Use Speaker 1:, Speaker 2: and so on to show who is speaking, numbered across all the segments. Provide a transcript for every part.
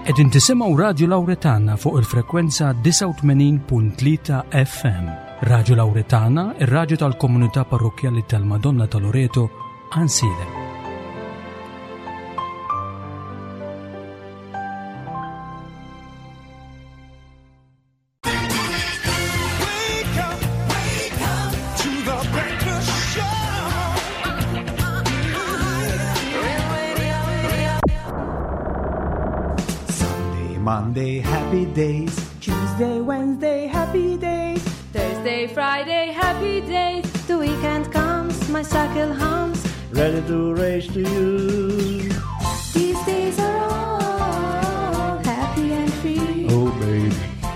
Speaker 1: Qegħdin tisimgħu Radju Lawretana fuq il-frekwenza 89.3 FM. Radju Lawretana, ir-radju tal-komunità parrokkjali tal-Madonna ta' Loreto, Ansilem.
Speaker 2: Sunday, Monday, happy days.
Speaker 3: Tuesday, Wednesday, happy days.
Speaker 4: Thursday, Friday, happy days.
Speaker 3: The weekend comes, my cycle hums.
Speaker 2: Ready to race to you.
Speaker 3: These days are all happy and free.
Speaker 2: Oh, baby.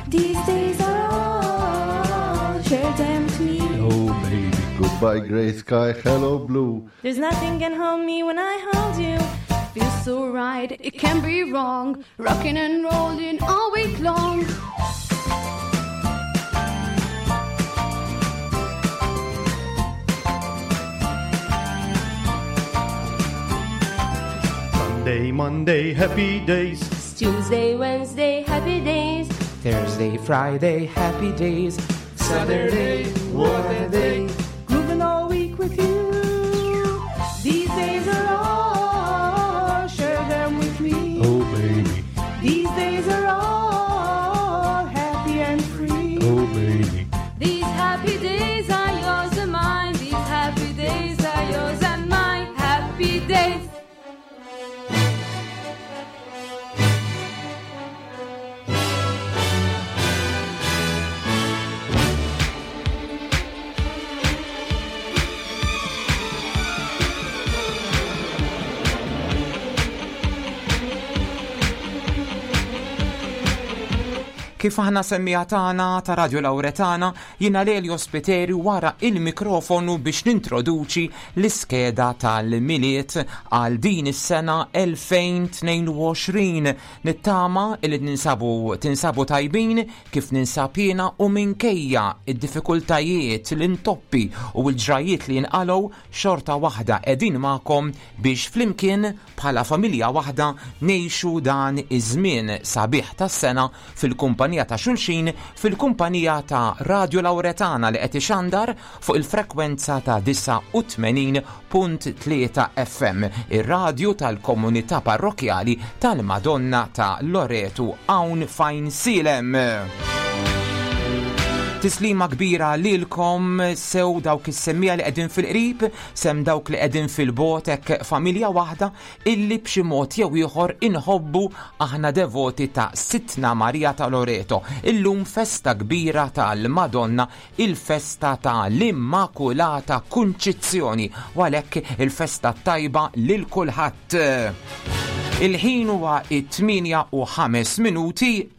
Speaker 3: These days are all share them with me.
Speaker 2: Oh, baby.
Speaker 5: Goodbye, gray sky. Hello, blue.
Speaker 3: There's nothing can hold me when I hold you.
Speaker 4: Feels so right, it can't be wrong. Rocking and rolling all week long.
Speaker 2: Sunday, Monday, happy days.
Speaker 4: Tuesday, Wednesday, happy days.
Speaker 6: Thursday, Friday, happy days.
Speaker 2: Saturday, what a day.
Speaker 3: Grooving all week with you. These days are all share them with me.
Speaker 2: Oh, baby.
Speaker 3: These days are all happy and free.
Speaker 2: Oh, baby.
Speaker 4: These happy days are yours and mine. These happy days are yours and mine. Happy days.
Speaker 6: Kif aħna semmija tagħna ta' Radio Lauretana, jiena Lelio Spiteri wara il-mikrofonu biex nintroduċi l-iskeda tal-Milied għal din is-sena 2022. Nittama li ninsabu tinsabu tajbin kif ninsab jiena u minkejja id-diffikultajiet, l-intoppi u l-ġrajiet li jinqalgħu xorta waħda qegħdin magħkom biex flimkien bħala familja waħda ngħixu dan iż-żmien sabiħ tas-sena fil-kumpanija ta' xulxin, fil-kumpanija ta' Radio Lauretana li qed ixandar fuq il-frekwenza ta' 89.3 FM, ir-radju tal-komunità parrokjali tal-Madonna ta' Loretu hawn f'Għajnsielem. Tislima kbira lilkom sew dawk is-semmiegħa li qegħdin fil-qrib, sem dawk li qegħdin fil-bogħod hekk familja waħda illi b'xi mod jew ieħor inħobbu aħna devoti ta' Sidtna Marija ta' Loreto. Illum festa kbira tal-Madonna, il-festa ta' l-Immakulata Kunċizzjoni, u għalhekk il-festa t-tajba lil kulħadd. Il-ħin huwa it-8 u 5 minuti.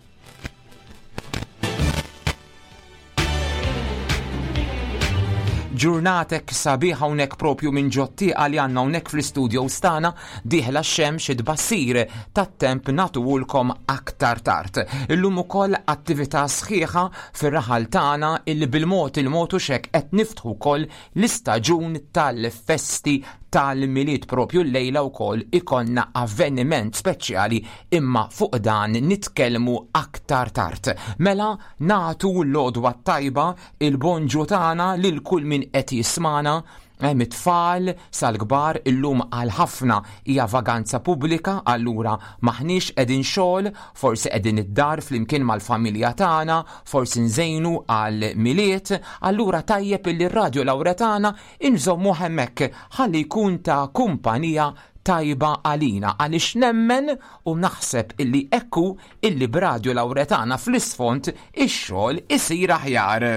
Speaker 6: Ġurnatek sabiħa hawnhekk propju minn ġottieqa li għandna hawnhekk fl-istudios tagħna dieħla x-xemx it-tbassir tat-temp nagħtuhulkom aktar tard. Illum ukoll attività sħiħa fir-raħal tagħna illi bil-mod il-mod u xek qed niftħu wkoll l-istaġun tal-festi tal-Milied propju llejla wkoll ikollna avveniment speċjali imma fuq dan nitkellmu aktar tard. Mela nagħtu l-għodwa t-tajba, il-bonġu tagħna lil kull min qed jismagħna, eh, mit-tfal sal-kbar illum għal ħafna hija vaganza pubblika allura maħniex qegħdin xogħol, forsi qegħdin id-dar flimkien mal-familja tagħna, forsi nżejnu għal Milied, allura tajjeb illi r-Radio Lauretana inżommuh hemmhekk ħalli jkun ta' kumpanija tajba għalina għaliex nemmen u naħseb illi hekk hu illi b'Radio Lauretana fl-isfond ix-xogħol isir aħjar.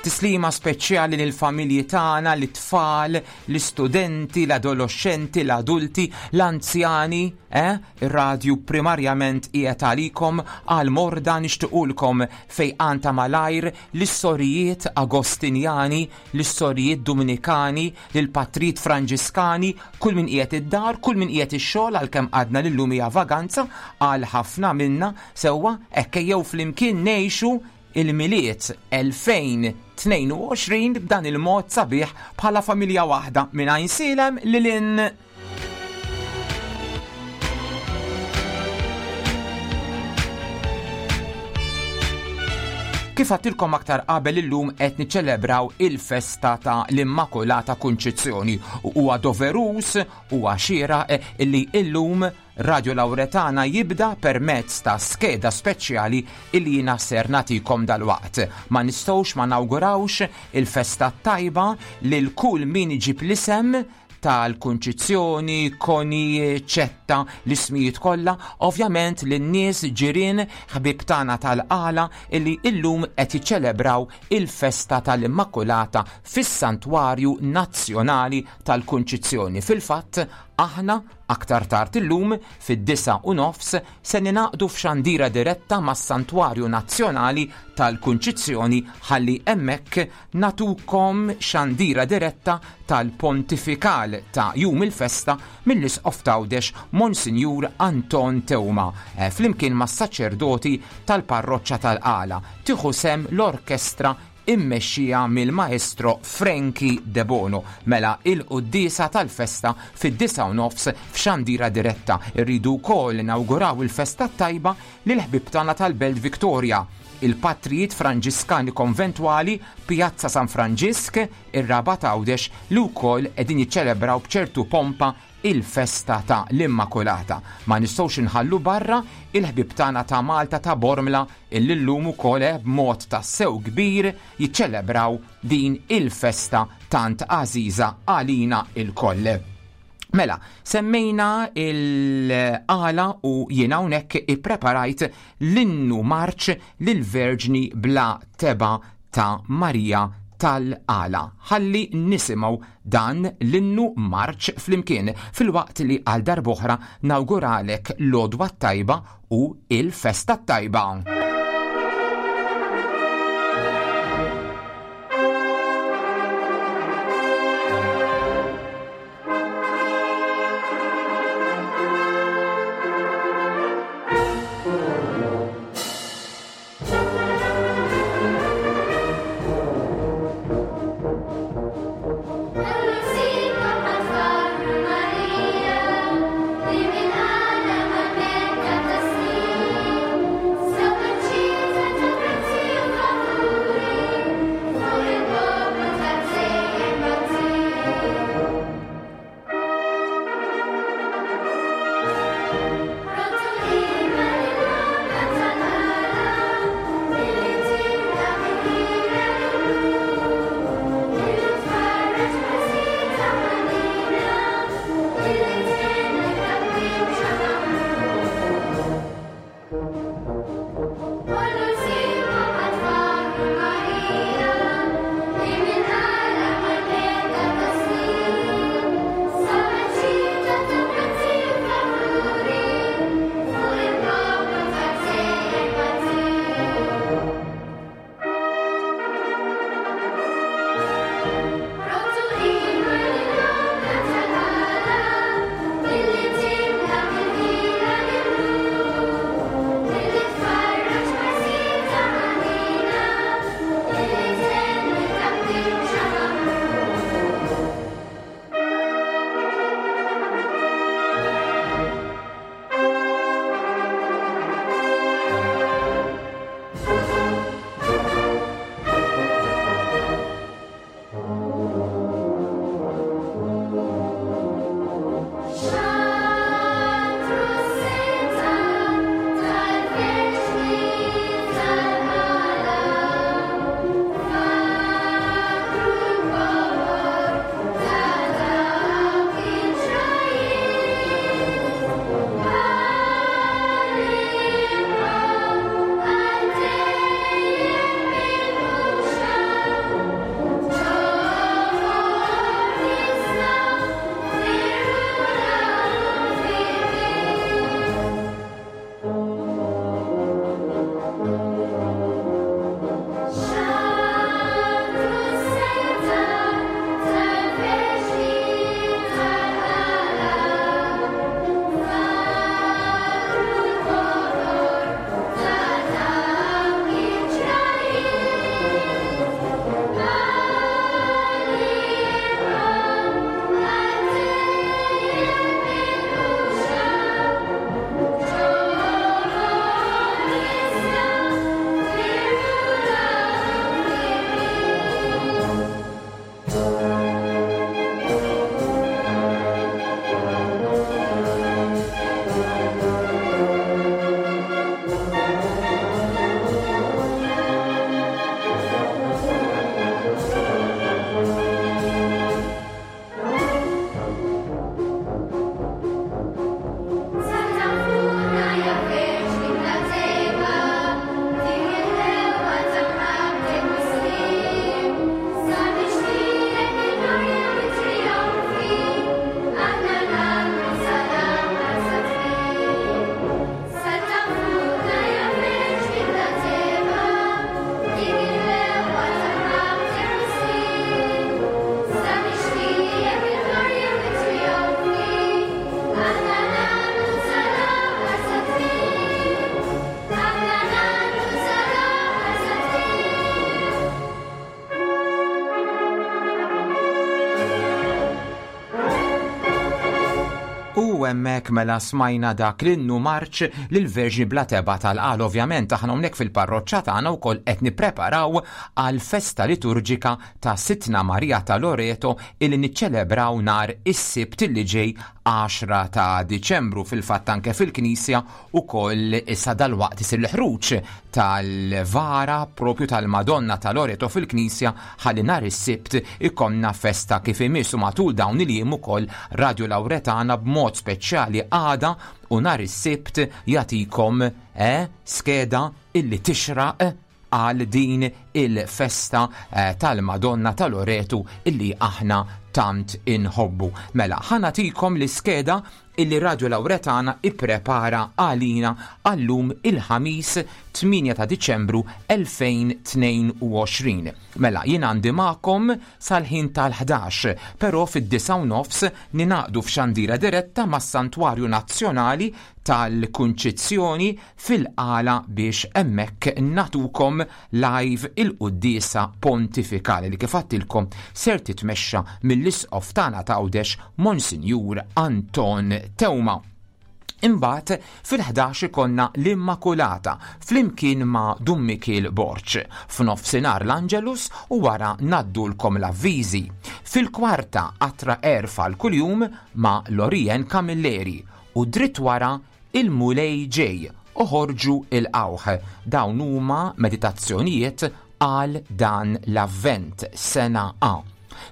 Speaker 6: Tislima speċjali lill-familji tagħna, lit-tfal, l-istudenti, l-adoloxxenti, l-adulti, l-anzjani, eh? Ir-radju primarjament qiegħed għalikom għal morda nixtiqulkom fejqan ta' malajr lis-sorijiet Agostinjani, lis-sorijiet Duminikani, lill-patrijiet Franġiskani, kull min qiegħed id-dar, kull min qiegħed ix-xogħol għalkemm għadna li llum hija vaganza għal ħafna minna, sewwa, hekk ejjew flimkien ngħixu il-Milied 2022 b'dan il-mod sabiħ bħala familja waħda minn Għajnsielem lil hinn. Kif għattilkom aktar qabel illum qed niċċelebraw il-festa ta' l-Immakulata Kunċizzjoni u huwa doveruż huwa xieraq illi illum Radio Lauretana jibda permezz ta' skeda speċjali illi jiena ser nagħtikom dalwaqt. Ma nistgħux ma nawgurawx il-festa t-tajba lil kull min iġib l-isem tal-Kunċizzjoni, Koni, Ċetta, l-ismijiet kollha, ovvjament lin-nies ġirien ħbieb tagħna tal-Qala illi illum qed jiċċelebraw il-festa tal-Immakulata fis-Santwarju Nazzjonali tal-Kunċizzjoni. Fil-fatt, aħna aktar tard illum fid-9:30 se ningħaqdu f'xandira diretta mas-Santwarju Nazzjonali tal-Kunċizzjoni ħalli hemmhekk nagħtukom xandira diretta tal-Pontifikal ta' jum il-festa mill-Isqof t'Għawdex Monsinjur Anton Teuma flimkien mas-saċerdoti tal-Parroċċa tal-Qala. Tieħu sehem l-orkestra immexxija mill-Maestro Frankie Debono. Mela il-quddiesa tal-festa fid-9:30 f'xandira diretta. Irridu wkoll nawguraw il-festa t-tajba lill-ħbieb tagħna tal-Belt Victoria, il-Patrijiet Franġiskani Konventwali, Pjazza San Franġisk, ir-Rabat Għawdex li wkoll qegħdin jiċċelebraw b'ċertu pompa il-festa ta' l-Immakulata. Ma nistgħux inħallu barra il-ħbieb tagħna ta' Malta ta' Bormla illi llum ukoll b'mod tassew kbir jiċċelebraw din il-festa tant għażiża għalina lkoll. Mela, semmejna il-għala u jien hawnhekk ippreparajt l-innu marċ lill-Verġni bla tebgħa ta' Marija tal-Għala. Ħalli nisimgħu dan l-innu marċ flimkien filwaqt li għal darb'oħra nawguralek l-għodwa t-tajba u il-festa t-tajba. U hemmhekk mela smajna dak l-innu marċ lill-Verġni bla tebgħa tal-Qal. Ovvjament aħna hawnhekk fil-parroċċa tagħna wkoll qed nippreparaw għal festa liturġika ta' Sidtna Marija ta' Loreto illi niċċelebraw nhar is-Sibt illi ġej 10 ta' Diċembru. Fil-fatt anke fil-Knisja ukoll issa dalwaqt isir l-ħruġ tal-vara propju tal-Madonna ta' Loreto fil-Knisja ħalli nhar is-Sibt ikollna festa kif imiss u matul dawn il-jiem ukoll Radio Lauretana b'mod speċjali għada u nhar is-Sibt jagħtikom eh, skeda illi tixraq għal din il-festa eh, tal-Madonna ta' Loreto illi aħna tant inħobbu. Mela, ħanatikom l-iskeda illi Radio Lauretana ipprepara għalina għallum il-Ħamis 8 ta' Diċembru 2022. Mela, jien għandi magħkom sal-ħin tal-11, però fid-9 u nofs ninaqdu f'xandira diretta mas-Santwarju Nazzjonali tal-Kunċizzjoni fil-Qala biex hemmhekk nagħtukom live il-quddiesa pontifikali li kif għadtilkom ser titmexxa mill-Isqof tagħna t'Għawdex Monsinjur Anton Teuma. Imbagħad fil-11 ikollna l-Immakulata flimkien ma' Dun Mikiel Borg. F'nofsinhar l-Angelus u wara ngħaddulkom l-avviżi. Fil-kwarta Qatra Għerf għal kuljum ma' Lorien Camilleri u dritt wara Il-Mulej ġej, oħorġu ilqgħuh. Dawn huma meditazzjonijiet għal dan l-Avvent, sena A.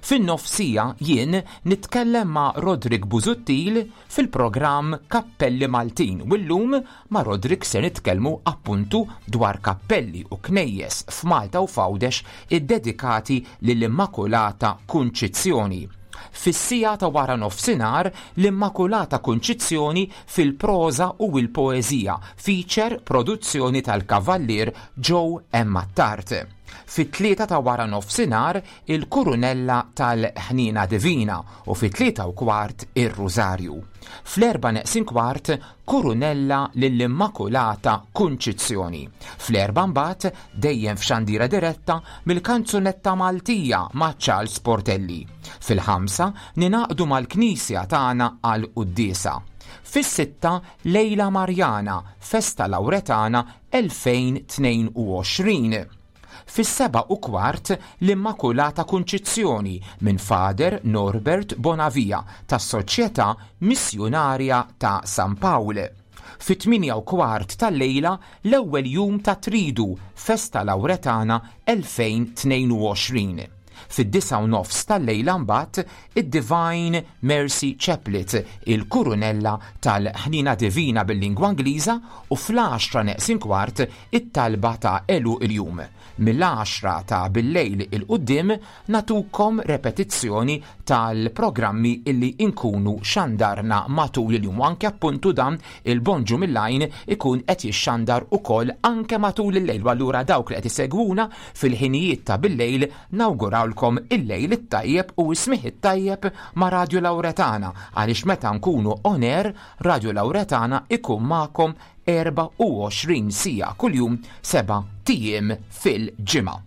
Speaker 6: Fin-nofsija jien nitkellem ma' Roderick Busuttil fil-programm Kappelli Maltin u llum ma' Roderick se nitkellmu appuntu dwar kappelli u knejjes f'Malta u f'Għawdex iddedikati lill-Immakulata Kunċizzjoni. Fis-siegħa ta' wara nofsinhar l-Immakulata Kunċizzjoni fil-proża u l-poeżija, feature produzzjoni tal-Kavallier Joe M. Attard. Fit-tlieta ta' wara nofsinhar il-Kurunella tal-Ħniena Divina u fit-tlieta u kwart ir-Rużarju. Fl-erbgħa neqsin kwart Kurunella lill-Immakulata Kunċizzjoni. Fl-erbgħa mbagħad, dejjem f'xandira diretta, mill-kanzunetta Maltija ma' Charles Portelli. Fil-ħamsa, ningħaqdu mal-Knisja tagħna għall-quddiesa. Fis-sitta, Lejla Marjana, Festa Lawretana 2022. Fis-7:15 l-Immakulata Kunċizzjoni minn Father Norbert Bonavia tas-Soċjetà Missjunarja ta' San Pawl. Fit-8:15 tal-lejla l-ewwel jum tat-Tridu, Festa Lawretana 2022. Fid-9:30 tal-lejla mbagħad id-Divine Mercy Chaplet, il-Kurunella tal-Ħniena Divina bil-lingwa Ingliża u fl-għaxra neqsin kwart it-talba ta' għeluq il-jum. Mill-għaxra ta' billejl 'il quddiem nagħtukom repetizzjoni tal-programmi illi nkunu xandarna matul il-jum u anke appuntu dan il-Bonġu mill-Għajn ikun qed jixxandar ukoll anke matul il-lejl u allura dawk li qed isegwuna fil-ħinijiet ta' billejl Nawgurawlkom il-lejl it-tajjeb u s-smigħ it-tajjeb ma' Radio Lauretana għaliex meta nkunu on air Radio Lauretana ikun magħkom 24 siegħa kuljum seba' ijiem fil-ġimgħa.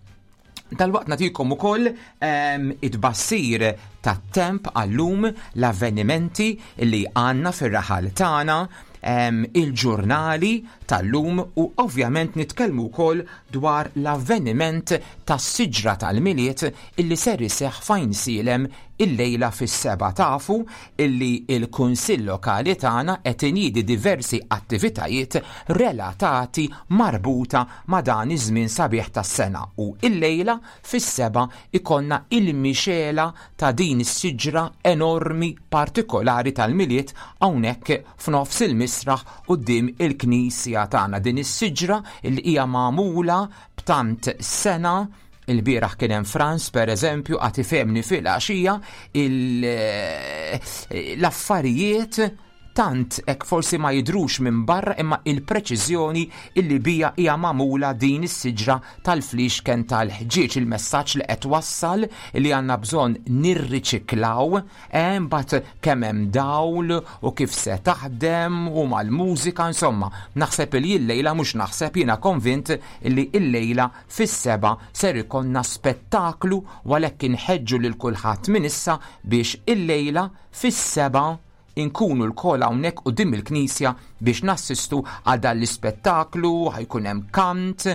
Speaker 6: Dalwaqt nagħtikom ukoll ehm, it-tbassir tat-temp għallum l-avvenimenti li għandna fir-raħal tagħna, ehm, il-ġurnali tal-lum u ovvjament nitkellmu wkoll dwar l-avveniment tas-siġra tal-Milied illi ser iseħħ f'Għajnsielem illejla fis-sebgħa. Tafu illi l-Kunsill Lokali tagħna qed iniedi diversi attivitajiet relatati marbuta ma' dan iż-żmien sabiħ tas-sena u illejla fis-sebgħa ikollna il-mixegħla ta' din is-siġra enormi partikolari tal-Milied hawnhekk f'nofs il-misraħ quddiem il-knisja tagħna. Din is-siġra li hija magħmula b'tant sena Il-bieraħ kien hemm Franz per eżempju għad ifehmni fil-għaxija l-affarijiet tant hekk forsi ma jidhrux minn barra imma il-preċiżjoni illi bija hija magħmula din is-siġra tal-fliexken tal-ħġieġ, il-messaġġ li qed twassal li għandna bżonn nirriċiklaw, eh, mbagħad kemm hemm dawl u kif se taħdem u mal-mużika, insomma, naħseb li llejla mhux naħseb jiena konvint li llejla fis-sebgħa ser ikollna spettaklu u għalhekk inħeġġu lil kulħadd minn issa biex illejla fis-sebgħa. inkunu lkoll hawnhekk quddiem il-knisja biex nassistu għal dan l-ispettaklu, ħajkun hemm kant,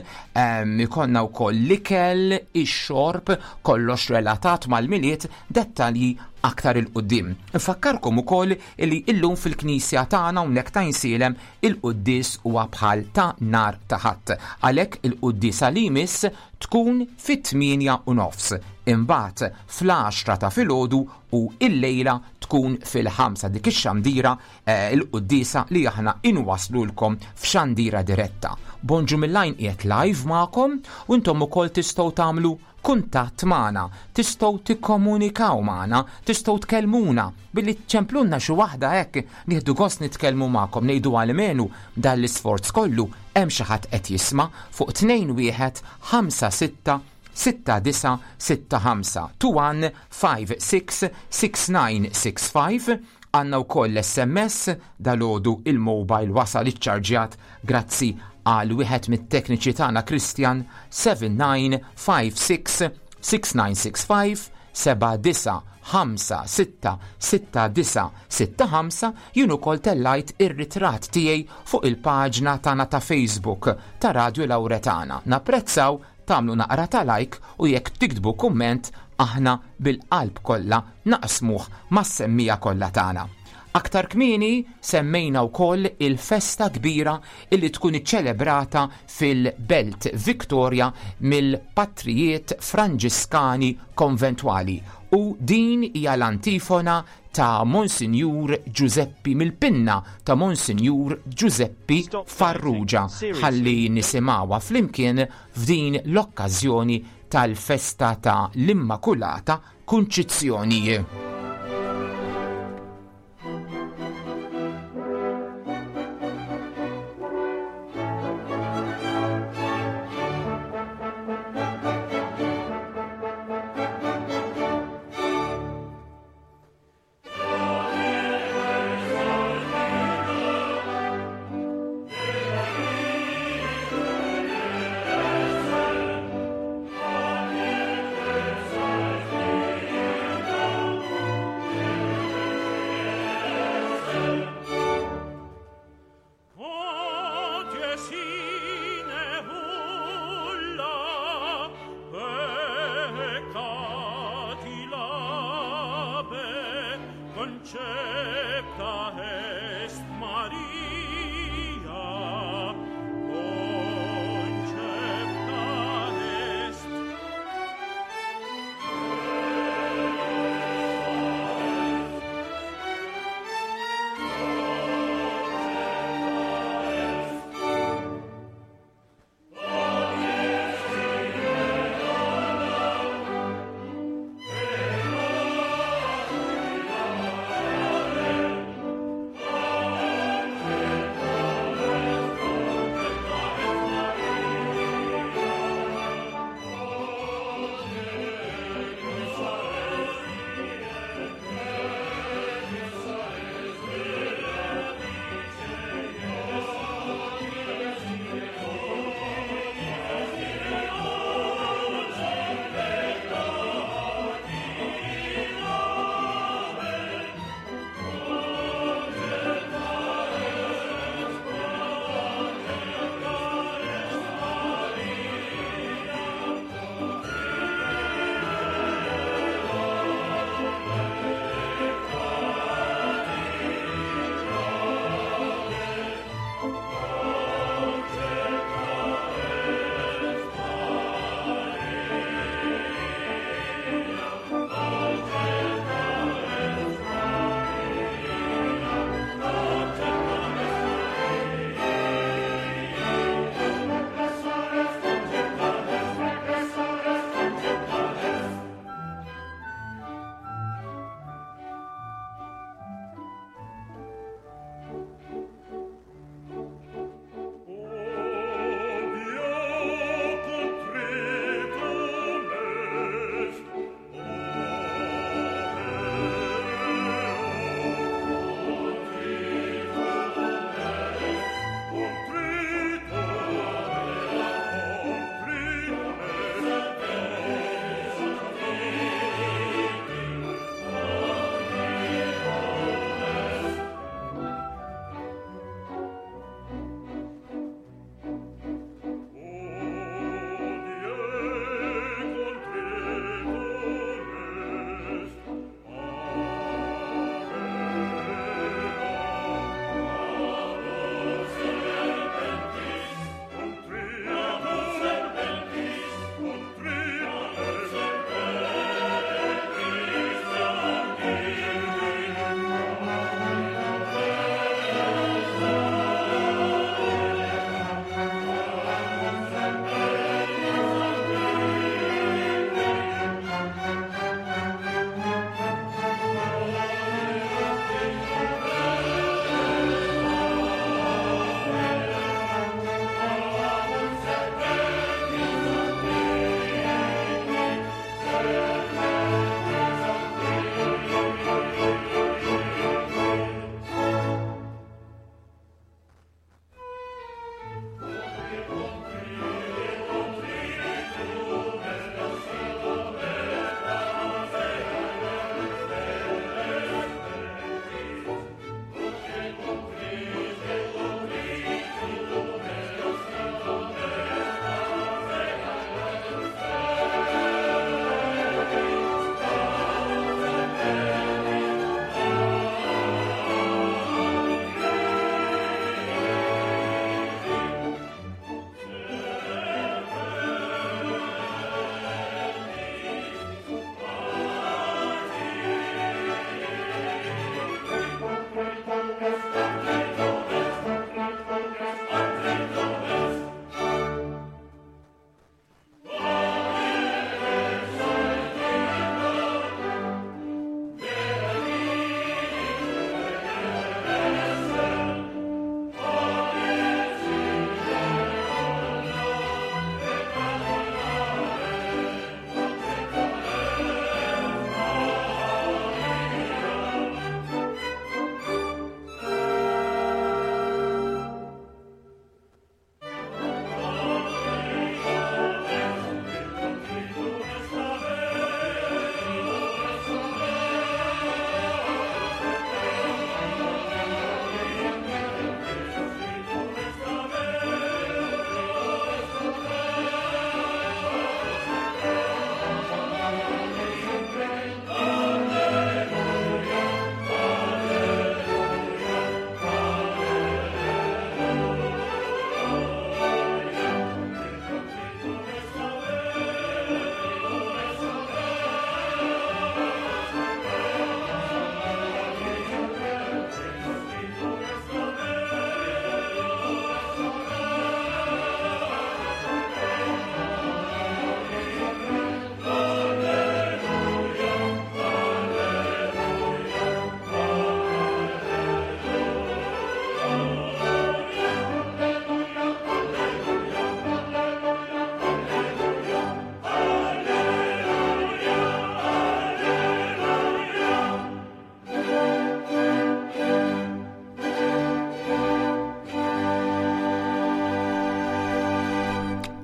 Speaker 6: ikollna wkoll l-ikel, ix-xorb, kollox relatat mal-Milied, dettalji aktar 'il quddiem. Infakkarkom ukoll li illum fil-knisja tagħna hawnhekk ta' Għajnsielem il-quddies huwa bħal ta' nhar ta' Ħadd. Għalhekk il-quddiesa li jmiss tkun fit-8:30, imbagħad fl-għaxra ta' filgħodu u illejla tkun fil-ħamsa dik ix-xandira eh, il-quddiesa li aħna inwaslulkom f'xandira diretta. Bonġu mill-għajn qiegħed live magħkom u intom ukoll tistgħu tagħmlu kuntatt magħna, tistgħu tikkomunikaw magħna, tistgħu tkellmuna billi ċemplunna xi waħda hekk nieħdu gost nitkellmu magħkom ngħidu għalmenu dan l-isforz kollu hemm xi ħadd qed jisma' fuq 21 5 6 6965 21 566965 Għandna wkoll l-SMS, dalgħodu il-mobile wasal iċċarġjat grazzi għal wieħed mit-tekniċi tagħna Christian 7956 6965 79566965 jien ukoll tellajt ir-ritratt tiegħi fuq il-paġna tagħna ta' Facebook ta' Radio Lauretana. Napprezzaw tagħmlu naqra ta' like u jekk tiktbu kumment aħna bil-qalb kollha naqsmuh mas-semmiegħa kollha tagħna. Aktar kmieni semmejna wkoll il-festa kbira illi tkun iċċelebrata fil-Belt Victoria mill-Patrijiet Franġiskani Konventwali u din hija l-antifona ta' Monsinjur Ġużeppi mill-pinna ta' Monsinjur Ġużeppi Farrugia ħalli nisimgħuha flimkien f'din l-okkażjoni tal-festa ta' l-Immakulata Kunċizzjoni.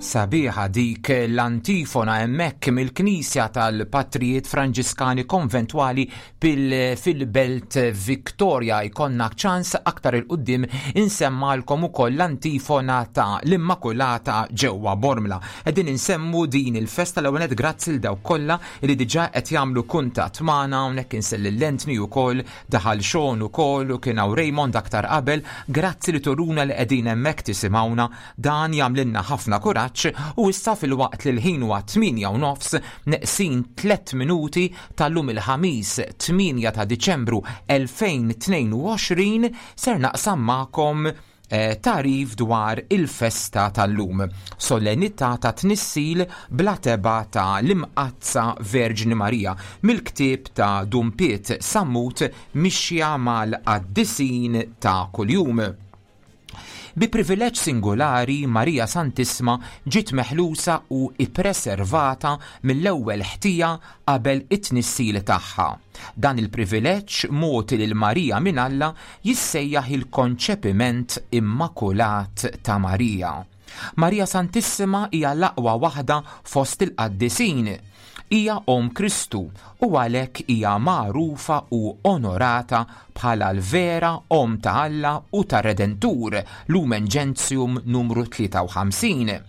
Speaker 6: Sabiħa dik l-antifona hemmhekk mill-Knisja tal-Patrijiet Franġiskani Konventwali fil-Belt Victoria. Jkollna ċans aktar 'il quddiem insemmalkom ukoll l-antifona ta' l-Immakulata ġewwa Bormla. Qegħdin insemmu din il-festa l-ewwel nett grazzi 'l dawk kollha li diġà qed jagħmlu kuntatt magħna hawnhekk insell lil Anthony ukoll Daħal Sean ukoll u kien hawn Raymond aktar qabel, grazzi li turuna li qegħdin hemmhekk tisimgħuna, dan jagħmlilna ħafna kuraġġ u issa filwaqt li l-ħin huwa 8:30 neqsin tlett minuti tal-lum il-Ħamis 8 ta' Diċembru 2022 ser naqsam magħkom Tagħrif dwar il-festa tal-lum, solennità ta' tnissil bla tebgħa ta' l-Imqaddsa Verġni Marija, mill-ktieb ta' Dun Piet Sammut Mixja mal-Qaddisin ta' Kuljum. Bi privileġġ singolari Marija Santissma ġiet meħlusa u ippreservata mill-ewwel ħtija qabel it-tnissil tagħha. Dan il-privileġġ mogħti lil Marija minn Alla jissejjaħ il-konċepiment immakulat ta' Marija. Marija Santissima hija l-aqwa waħda fost il-qaddisin. Hija omm Kristu u għalhekk hija magħrufa u onorata bħala l-vera Omm ta' Alla u tar-Redentur, Lumen Gentium numru 53.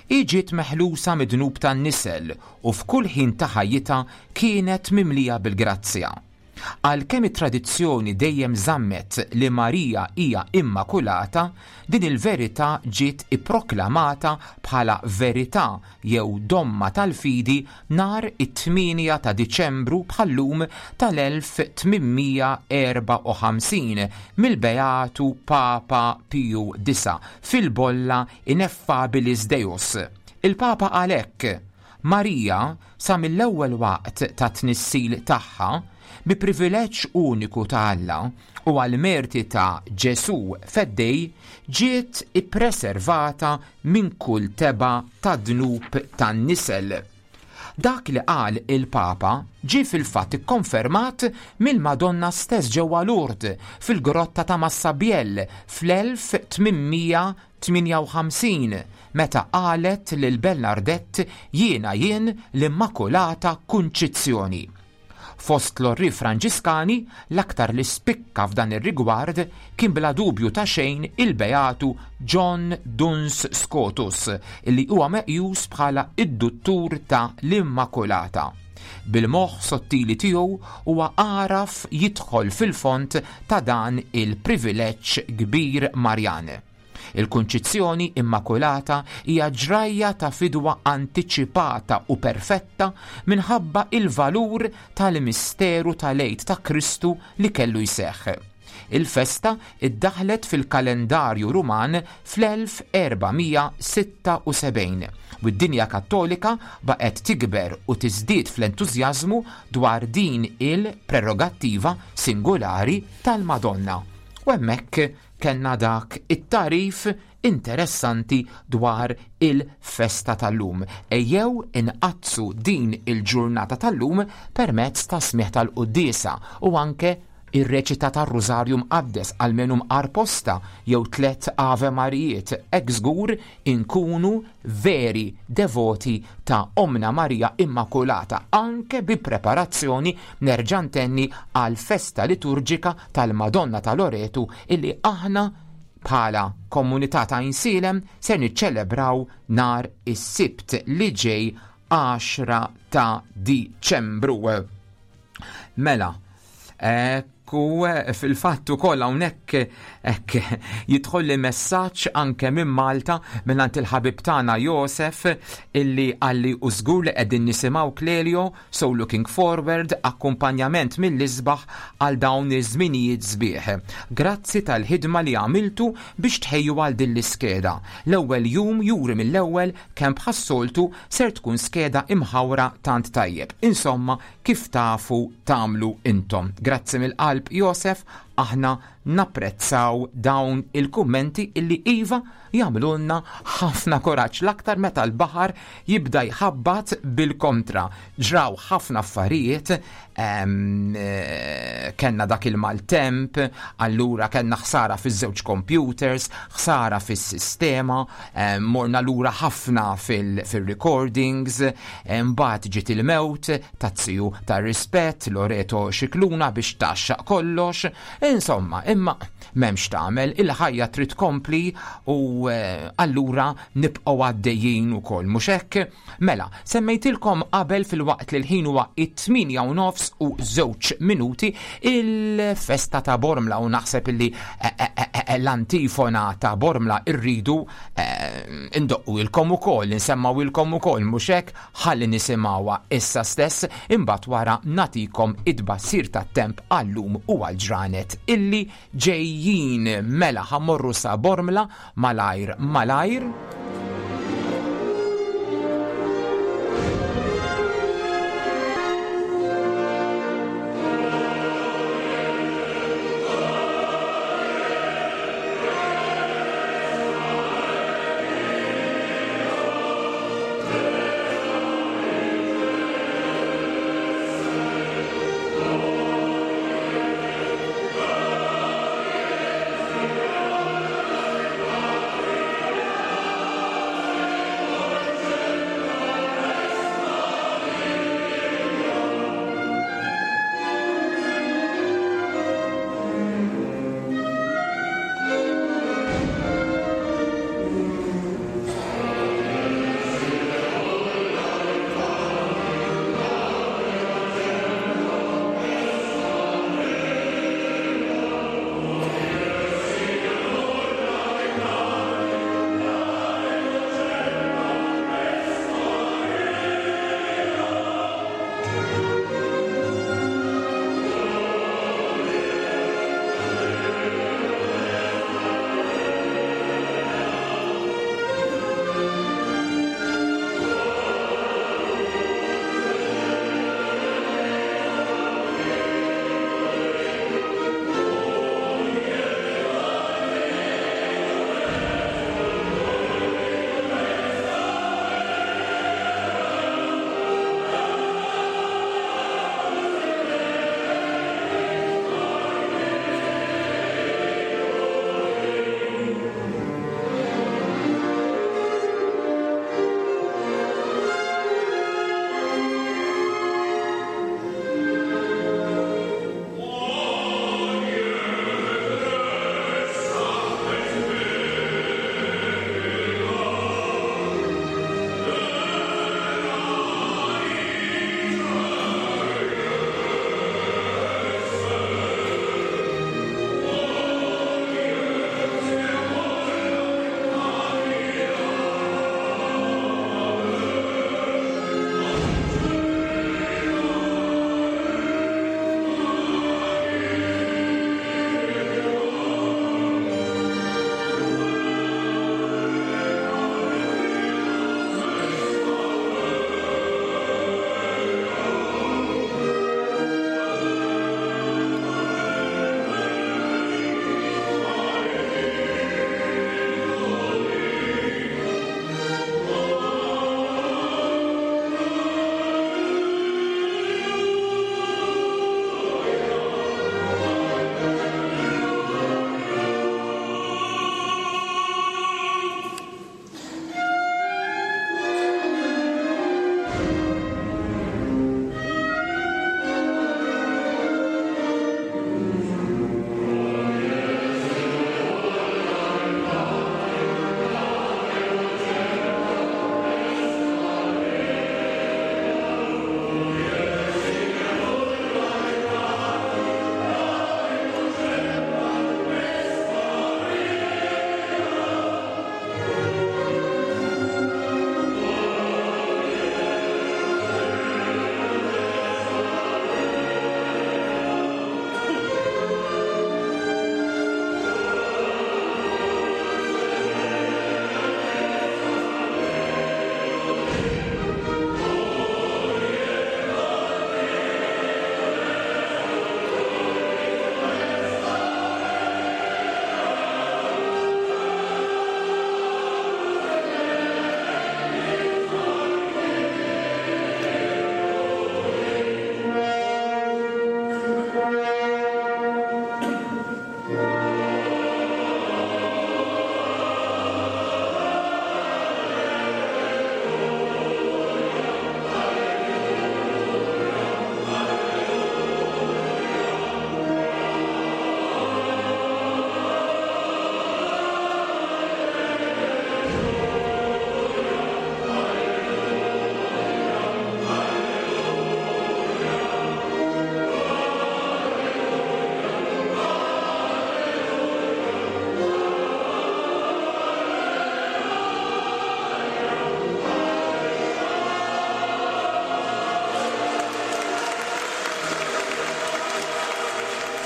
Speaker 6: Hi ġiet meħlusa mid-dnub tan-nisel u f'kull ħin ta' ħajjitha kienet mimlija bil-grazzja. Għalkemm it-tradizzjoni dejjem żammet li Marija hija Immakulata, din il-verità ġiet ipproklamata bħala verità jew domma tal-fidi nhar it-8 ta' Diċembru bħal-lum tal-1854 mill-Beatu Papa Piju Disa' fil-bolla Ineffabilis Deus. Il-Papa qal hekk, Marija, sa mill-ewwel waqt tat-tnissil tagħha, bi privileġġ uniku ta' Alla u għall-merti ta' Ġesù Feddej, ġiet ippreservata minn kull tebgħa ta' dnub tan-nisel. Dak li qal il-Papa ġie fil-fatt ikkonfermat mill-Madonna stess ġewwa Lourdes, fil-Grotta ta' Massabielle fl-1800 58, meta qalet lil Bernardette Jiena jien l-Immakulata Kunċizzjoni. Fost l-orri Franġiskani, l-aktar li spikka f'dan ir-rigward kien bla dubju ta' xejn il-Beatu John Duns Scotus, li huwa meqjus bħala d-Duttur ta' l-Immakulata. Bil-moħħ sottili tiegħu huwa għaraf jidħol fil-fond ta' dan il-privileġġ kbir Marjan. Il-Kunċizzjoni Immakulata hija ġrajja ta' fidwa antiċipata u perfetta minħabba il-valur tal-misteru tal-Għid ta' Kristu li kellu jseħħ. Il-festa iddaħħlet fil-kalendarju Ruman fl-1476 u d-dinja Kattolika baqgħet tikber u tiżdied fl-entużjażmu dwar din il-prerogattiva singolari tal-Madonna. U hemmhekk Kellna dak it-tagħrif interessanti dwar il-festa tal-lum. Ejjew inqaddsu din il-ġurnata tal-lum permezz ta' smigħ tal-quddiesa u anke ir-reċita tar-Rużarju Mqaddes almenu mqar posta jew tlett Ave Marijiet, hekk żgur inkunu veri devoti ta' Ommna Marija Immakulata anke bi preparazzjoni nerġa' ntenni għall-festa liturġika tal-Madonna ta' Loretu illi aħna bħala komunità ta' Għajnsielem ser niċċelebraw nhar is-Sibt li ġej 10 ta' Diċembru. Mela, Ekku, fil-fatt ukoll hawnhekk hekk jidħolli messaġġ anke minn Malta mingħand il-ħabib tagħna Josef illi qalli u żgur li qegħdin nisimgħu Clelio, so looking forward, akkumpanjament mill-isbaħ għal dawn iż-żminijiet sbieħ. Grazzi tal-ħidma li għamiltu biex tħejju għal din l-iskeda. L-ewwel jum juri mill-ewwel kemm bħas-soltu ser tkun skeda imħawra tant tajjeb. Insomma, kif tafu tagħmlu intom. Grazzi mill-qalb Josef, aħna napprezzaw dawn il-kummenti illi iva jagħmlulna ħafna kuraġġ l-aktar meta l-baħar jibda jħabbat bil-kontra. Ġraw ħafna affarijiet eh, Kellna dak il-maltemp, allura kellna ħsara fiż-żewġ computers, ħsara fis-sistema, morna lura ħafna fil-recordings, mbagħad ġiet il-mewt taz-ziju tar-rispett Loreto Scicluna biex tgħaxxaq kollox. Insomma, imma m'hemmx tagħmel, il-ħajja trid tkompli u allura nibqgħu għaddejjin ukoll, mhux hekk? Mela, semmejtilkom qabel filwaqt li l-ħin huwa it-tmienja u nofs u żewġ minuti il-festa ta' Bormla u naħseb illi eh, eh, eh, l-antifona ta' Bormla irridu indoqqu ukoll, insemmawilkom ukoll, mhux hekk? Ħalli nisimgħuha issa stess imbagħad wara nagħtikom it-tbassir tat-temp għal-lum u għall-ġranet illi ġejjin. Mela ħa mmorru sa Bormla malajr malajr.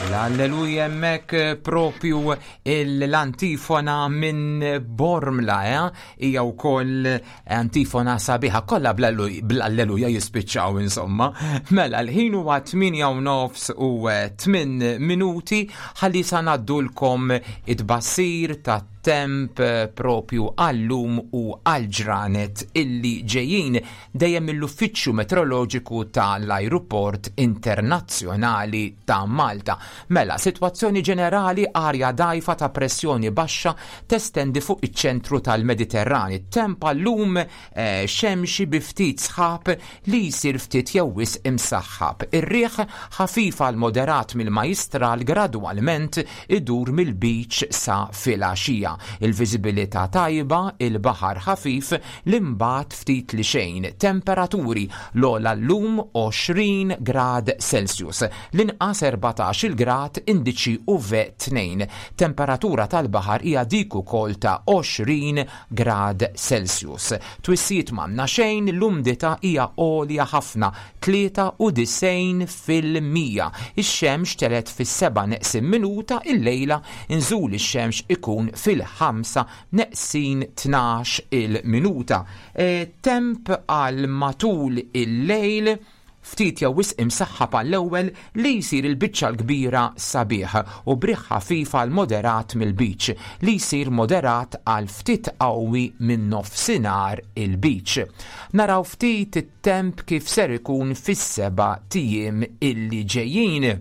Speaker 6: L-Alleluja hemmhekk eh, propju l-antifona minn Bormla, eh? hija wkoll antifona sabiħa kollha bl-Alleluja jispiċċaw insomma. Mela l-ħin huwa 8 u nofs u 8 eh, minuti ħalli sa ngħaddulkom it-bassir ta' temp propju għallum u għal-ġranet illi ġejjin dejjem mill-Uffiċċju Metroloġiku ta' l-Ajruport Internazzjonali ta' Malta. Mela, sitwazzjoni ġenerali arja dgħajfa ta' pressjoni baxxa testendi fuq iċ-ċentru tal-Mediterran. It-temp għal-lum eh, xemxi bi ftit sħab li jsir ftit jew wisq imsaħħab. Ir-riħ ħafif għal moderat mill-Majjistral gradwalment idur mill-Lbiċ sa filgħaxija. Il-viżibilità tajba, il-baħar ħafif, l-imbagħad ftit li xejn. Temperaturi, l-ogħla llum 20 grad Celsius, l-inqas 14-il grad indiċi UV 2. Temperatura tal-baħar hija dik ukoll ta' 20 grad Celsius. Twissijiet m'għandna xejn, l-umdità hija għolja ħafna, 93%. Ix-xemx telgħet fis-sebgħa neqsin minuta, illejla nżul ix-xemx ikun fil-ħamsa neqsin 12-il minuta. E, temp għal matul il-lejl ftit jew wisq imsaħħab għall-ewwel li jsir il-biċċa l-kbira sabiħ u briħ ħafif għal moderat mill-Lbiċ li jsir moderat għal ftit qawwi minn nofsinhar il-Lbiċ. Naraw ftit it-temp kif ser ikun fis-seba' tijiem illi ġejjin.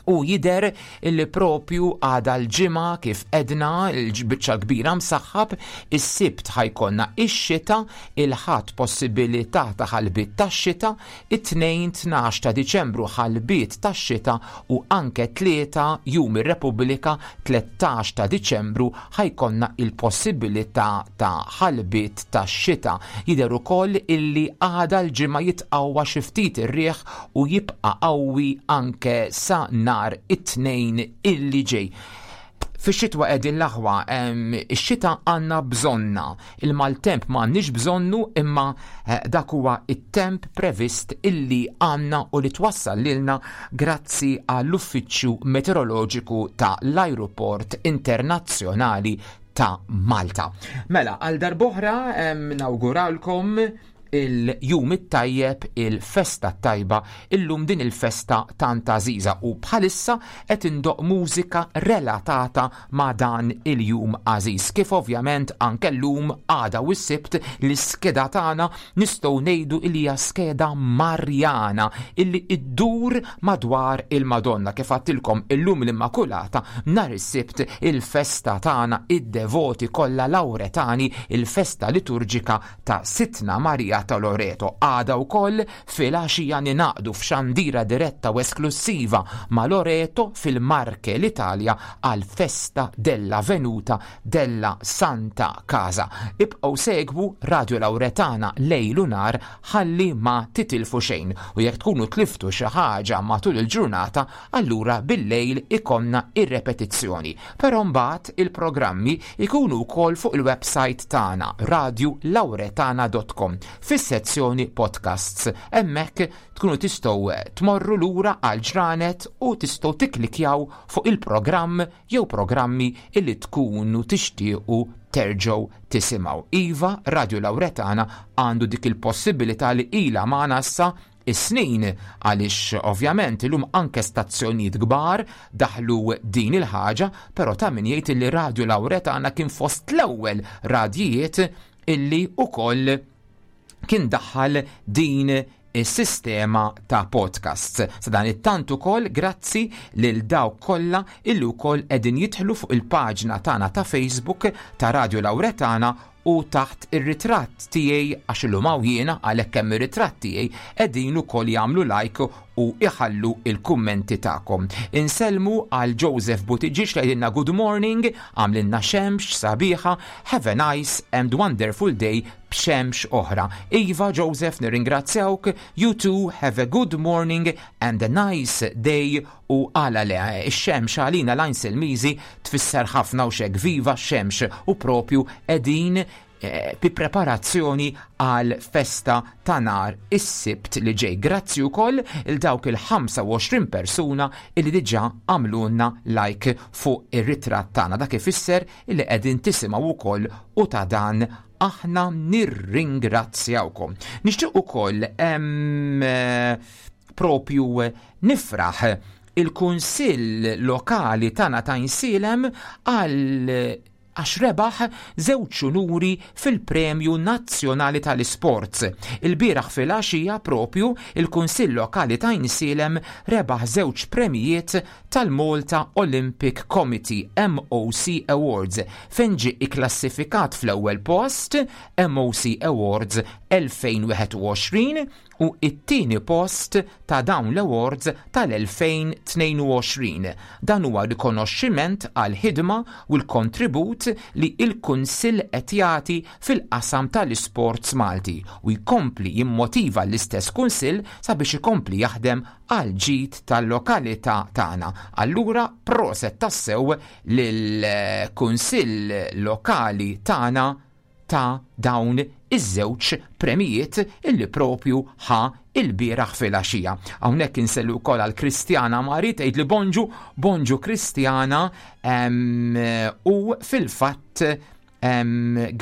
Speaker 6: U jidher illi propju għada l-Ġimgħa kif għedna l-biċċa l-kbira msaħħab, is-Sibt ħa jkollna ix-xita, il-Ħadd possibilità ta' ħalbiet tax-xita, it-Tnejn 12 ta' Diċembru ħalbiet tax-xita u anke Tlieta Jum ir-Repubblika 13 ta' Diċembru ħa jkollna il-possibilità ta' ħalbiet tax-xita. Jidher ukoll illi għada l-Ġimgħa jitqawwa xi ftit ir-riħ u jibqa' qawwi anke sa nhar it-Tnejn illi ġej. Fix-xitwa qegħdin l-aħwa, ix-xita għandna bżonna, il-maltemp ma għandniex bżonnu imma eh, dak huwa it-temp previst illi għandna u li twassal lilna grazzi għall-Uffiċċju Meteoroloġiku ta' l-Ajruport Internazzjonali ta' Malta. Mela, għal darboħra nawguralkom il-jum it-tajjeb, il-festa t-tajba, illum din il-festa tant għażiża u bħalissa qed indoqq mużika relatata ma' dan il-jum għażiż. Kif ovvjament anke llum, għada u s-Sibt l-iskeda tagħna nistgħu ngħidu li hija skeda Marjana illi iddur madwar il-Madonna. Kif għadtilkom illum l-Immakulata, nhar is-Sibt il-festa tagħna id-devoti kollha Lawretani, il-festa liturġika ta' Sidtna Marija ta' Loreto. Għada wkoll filgħaxija ningħaqdu f'xandira diretta u esklussiva ma' Loreto fil-Marche l-Italja għall-Festa della Venuta della Santa Casa. Ibqgħu segwu Radio Lauretana lejl u nhar ħalli ma titilfu xejn u jekk tkunu tliftu xi ħaġa matul il-ġurnata allura bil-lejl ikollna ir-repetizzjoni. Però mbagħad il-programmi jkunu wkoll fuq il-website tagħna radiolauretana.com fis-sezzjoni podcasts. Hemmhekk tkunu tistgħu tmorru lura għal ġranet u tistgħu tikklikjaw fuq il-programm jew programmi illi tkunu tixtiequ terġgħu tisimgħu. Iva, Radio Lauretana għandu dik il-possibilità li ilha magħna issa is-snin għaliex ovvjament illum anke stazzjonijiet kbar daħlu din il-ħaġa, però ta' min jgħid li Radio Lauretana kien fost l-ewwel radjijiet illi ukoll kien daħħal din is-sistema ta' podcasts. Sa dan it-tant ukoll grazzi lil dawk kollha illi wkoll qegħdin jidħlu fuq il-paġna tagħna ta' Facebook ta' Radio Lauretana u taħt ir-ritratt tiegħi għax illum hawn jiena għalhekk hemm ir-ritratt tiegħi qegħdin ukoll jagħmlu like u iħallu il-kummenti tagħkom. Insellmu għal Joseph Buttigieg li jgħidilna good morning, għamlilna xemx sabiħa, have a nice and wonderful day b'xemx oħra. Iva Joseph nirringrazzjawk, you too have a good morning and a nice day U għala le, ix-xemx għalina l-Għajnselmiżi tfisser ħafna u x'hekk viva x-xemx u propju qegħdin eh, bi preparazzjoni għal festa ta' nar is-Sibt li ġej. Grazzi wkoll il dawk il-25 persuna illi diġà għamlulna like fuq ir-ritratt tagħna. Dak ifisser illi qegħdin tisimgħu wkoll u ta' dan aħna nirringrazzjawkom. Nixtieq ukoll eh, propju nifraħ il-Kunsill Lokali tagħna ta' Insilem għal għax rebaħ żewġ unuri fil-Premju Nazzjonali tal-Isports. Ilbieraħ filgħaxija propju il-Kunsill Lokali ta' Għajnsielem rebaħ żewġ premijiet tal-Malta Olympic Committee, MOC Awards, fejn ġie ikklassifikat fl-ewwel post, MOC Awards 2021, u t-tieni post ta' dawn l-awards tal-2022. Dan huwa rikonoxximent għall-ħidma u l-kontribut li l-Kunsill qed jagħti fil-qasam tal-isports Malti u jkompli jimmotiva l-istess Kunsill sabiex ikompli jaħdem għall-ġid tal-lokalità tagħna. Allura proset tassew lill-Kunsill Lokali tagħna ta' dawn iż-żewġ premijiet illi propju ħa ilbieraħ filgħaxija. Hawnhekk insellu wkoll għal Kristjana Mari tgħid li bonġu, bonġu Kristjana u fil-fatt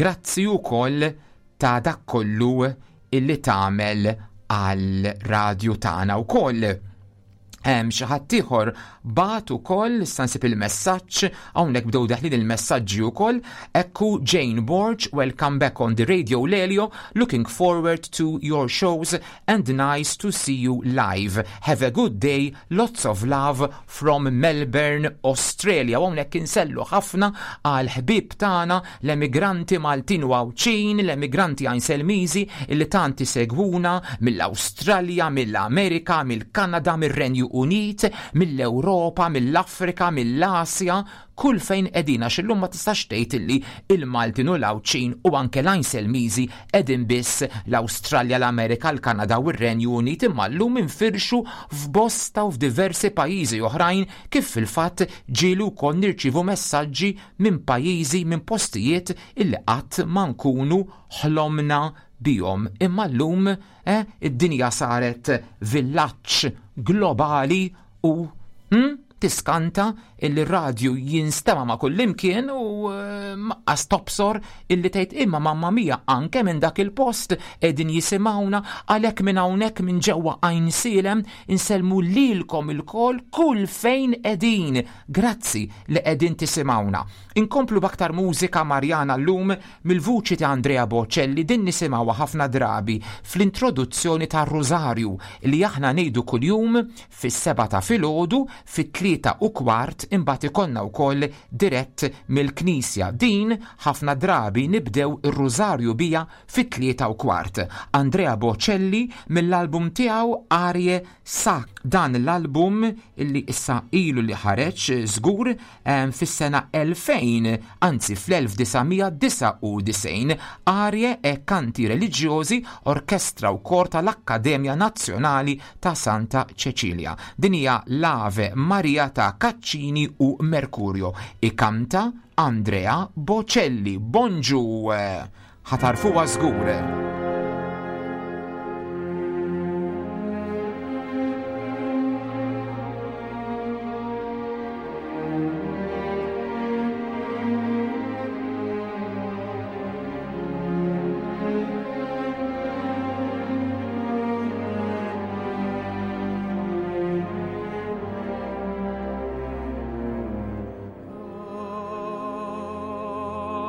Speaker 6: grazzi wkoll ta' dak kollu illi tagħmel għal radju tagħna wkoll. Hemm xi ħadd ieħor bagħat ukoll issa nsib il-messaġġ hawnhekk bdew daħlin il-messaġġi wkoll. Ekku Jane Borg, welcome back on the Radio Lelio, looking forward to your shows and nice to see you live. Have a good day, lots of love from Melbourne, Australia. U hawnhekk insellu ħafna għal ħbieb tagħna l-emigranti Maltin u Għawdxin, l-emigranti Għajnselmiżi li tant isegwuna mill-Awstralja, mill-Amerika, mill-Kanada, mir-Renju Unit, mill-Ewropa, mill-Afrika, mill-Asja, kull fejn qegħdin għax illum ma tistax tgħid illi il-Maltin u l-Għawdxin u anke l-Għajnselmiżi qegħdin biss l-Awstralja, l-Amerika, l-Kanada u r-Renju Unit imma llum infirxu f'bosta u f'diversi pajjiżi oħrajn kif fil-fatt ġieli wkoll nirċievu messaġġi minn pajjiżi, minn postijiet illi qatt ma nkunu ħlomna bihom. Imma llum eh, id-dinja saret villaġġ globali u hm, tiskanta illi r-radju jinstema' ma' kullimkien u eh, maqqas tobsor illi tgħid imma mamma mia anke minn dak il-post qegħdin jisimgħuna għalhekk minn hawnhekk minn ġewwa Għajnsielem insellmu lilkom ilkoll kull fejn qegħdin. Grazzi li qegħdin tisimgħuna. Inkomplu b'aktar mużika Marjana llum mill-vuċi ta' Andrea Bocelli din nisimgħuha ħafna drabi fl-introduzzjoni tar-Rużarju li aħna ngħidu kuljum fis-sebgħa ta' filgħodu, fit-tlieta u kwart imbagħad ikollna wkoll dirett mill-knisja. Din ħafna drabi nibdew ir-Rużarju biha fit-3:15. Andrea Bocelli mill-album tiegħu Arie Sa dan l-album li issa ilu li ħareġ żgur fis-sena 2000, anzi fl-1999, Arie e Canti Religiosi, orkestra u kor tal-Akkademja Nazzjonali ta' Santa Cecilia. Din hija l-Ave Maria ta' Caccini u Mercurio. Ikanta Andrea Bocelli. Bonġu! Ħa tagħrfuha żgur.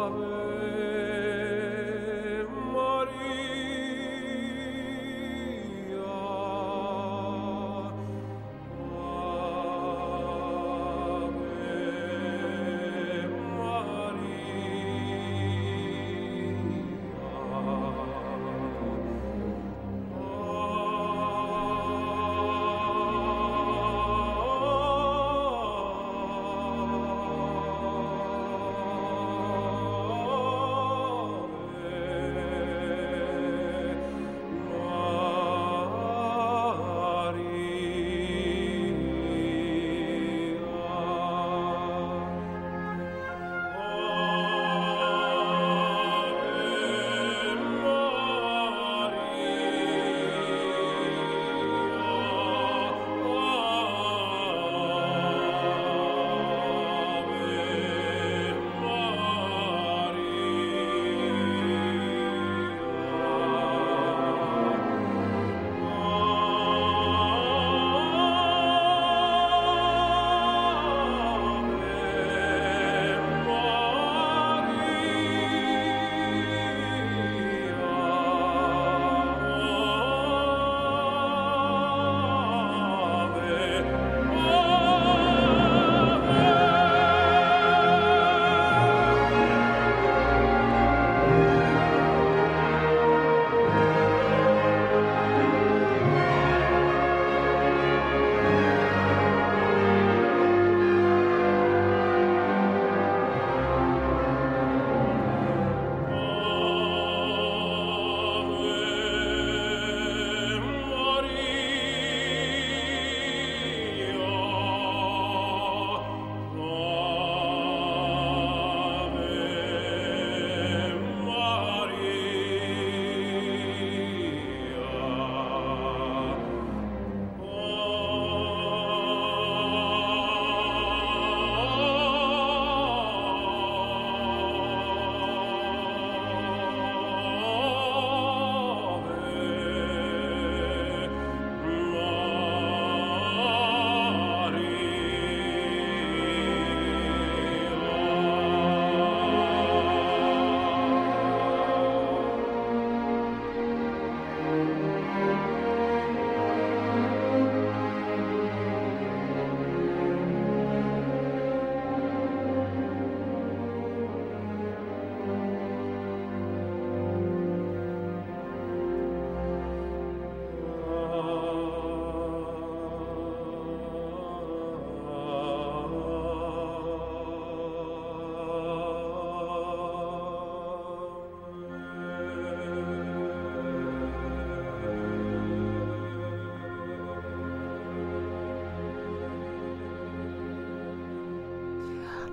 Speaker 7: Ave Maria.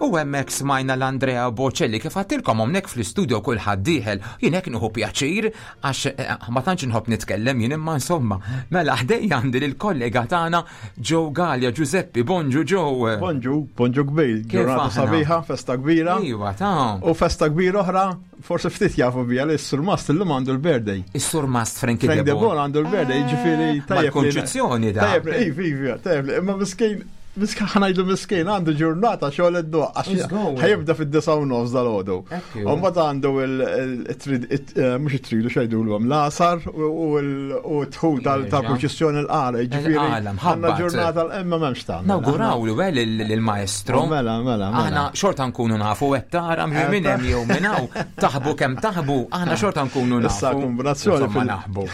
Speaker 6: U hemmhekk smajna l-Andrea Bocelli kif għattilkom hawnhekk fl-istudio kulħadd dieħel. Jien hekk nieħu pjaċir għax eh, ma tantx inħobb nitkellem jien imma insomma. Mela ħdejja għandi lill-kollega tagħna Joe Gallia Giuseppe, bonġu Joe.
Speaker 5: Bonġu, bonġu kbir, ġurnata sabiħa, festa kbira.
Speaker 6: Iva, ta'
Speaker 5: U festa kbira oħra, forsi ftit jafu bija li s-surmast illum għandu l-birthday.
Speaker 6: Is-surmast Frankie
Speaker 5: Frank De Boer għandu l-birthday, ġifieri
Speaker 6: eh, tajjeb. Mal-konċizzjoni da.
Speaker 5: Tajjeb, iva, iva, tajjeb, imma miskin Miskin ħanajdu miskin għandu ġurnata xogħol id-doq għax ħajibda fid-disa u nofs dal-għodu. U mbagħad għandu eh, mhux it-tridu x'għidulhom l-għasar u t-tħul tal-proċessjoni l-qara, jiġifieri għandna ġurnata l-imma m'hemmx tagħmel.
Speaker 6: Nawgurawlu eh, lill-maestro.
Speaker 5: Mela, mela, mela.
Speaker 6: Aħna xorta nkunu nafu qed tara minn hemm jew minn hawn taħbu kemm taħbu, aħna xorta nkunu nafu.
Speaker 5: Issa kombinazzjoni
Speaker 6: naħbu.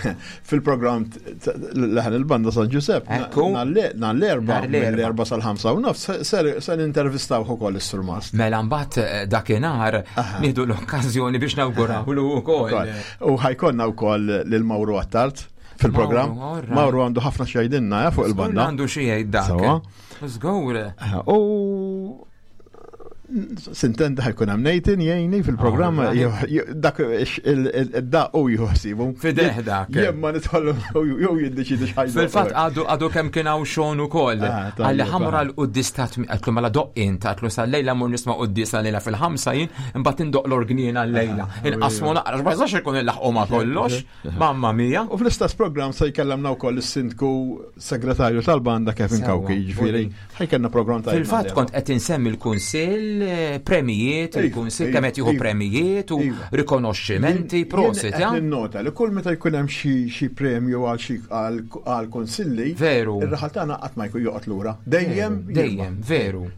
Speaker 5: Fil-programm leħen il-banda San Giuseppe, nhar l-erba, l-erba sal-ħamsa u nofs, se nintervistaw ukoll is-surmast.
Speaker 6: Mela mbagħad eh, dakinhar nieħdu l-okkażjoni biex nawgurawlu wkoll.
Speaker 5: U ħajkonna wkoll lil Mawru Attard fil-programm. Mawru għandu ħafna xejdinna eh, fuq il-banda.
Speaker 6: Għandu xi jgħid dak. Żgur.
Speaker 5: U Sintendi ħajkun hemm Nathan jgħinni fil-programm dak id-daq u jħossibu.
Speaker 6: Fideh dak.
Speaker 5: Jien ma nidħol jew jiddeċidi x'ħajdu.
Speaker 6: Fil-fatt għadu għadu kemm kien hawn xogħol ukoll. Ah, Għalli ħamra l-quddis ta' għatlu mela doq int għatlu sal-lejla mur nisma' quddis għal-lejla fil-ħamsa jien imbagħad indoq l-orgnien għal-lejla. Ah, Inqasmu naqra ma jistax ikun il-laħqu ma' kollox.
Speaker 5: Mamma mia. U fl-istess programm se jkellemna wkoll is-sindku segretarju tal-banda Kevin Kawki, jiġifieri ħajkellna programm
Speaker 6: tajjeb. Fil-fatt kont qed insemmi l-kunsill, eh, premijiet, il-kunsill kemm qed jieħu iva. premijiet u iva. rikonoxximenti, prosit.
Speaker 5: Jien nota li kull meta jkun hemm xi premju għal xi għal kunsilli,
Speaker 6: veru.
Speaker 5: Ir-raħal tagħna qatt ma jkun joqgħod lura. Dejjem,
Speaker 6: dejjem, veru.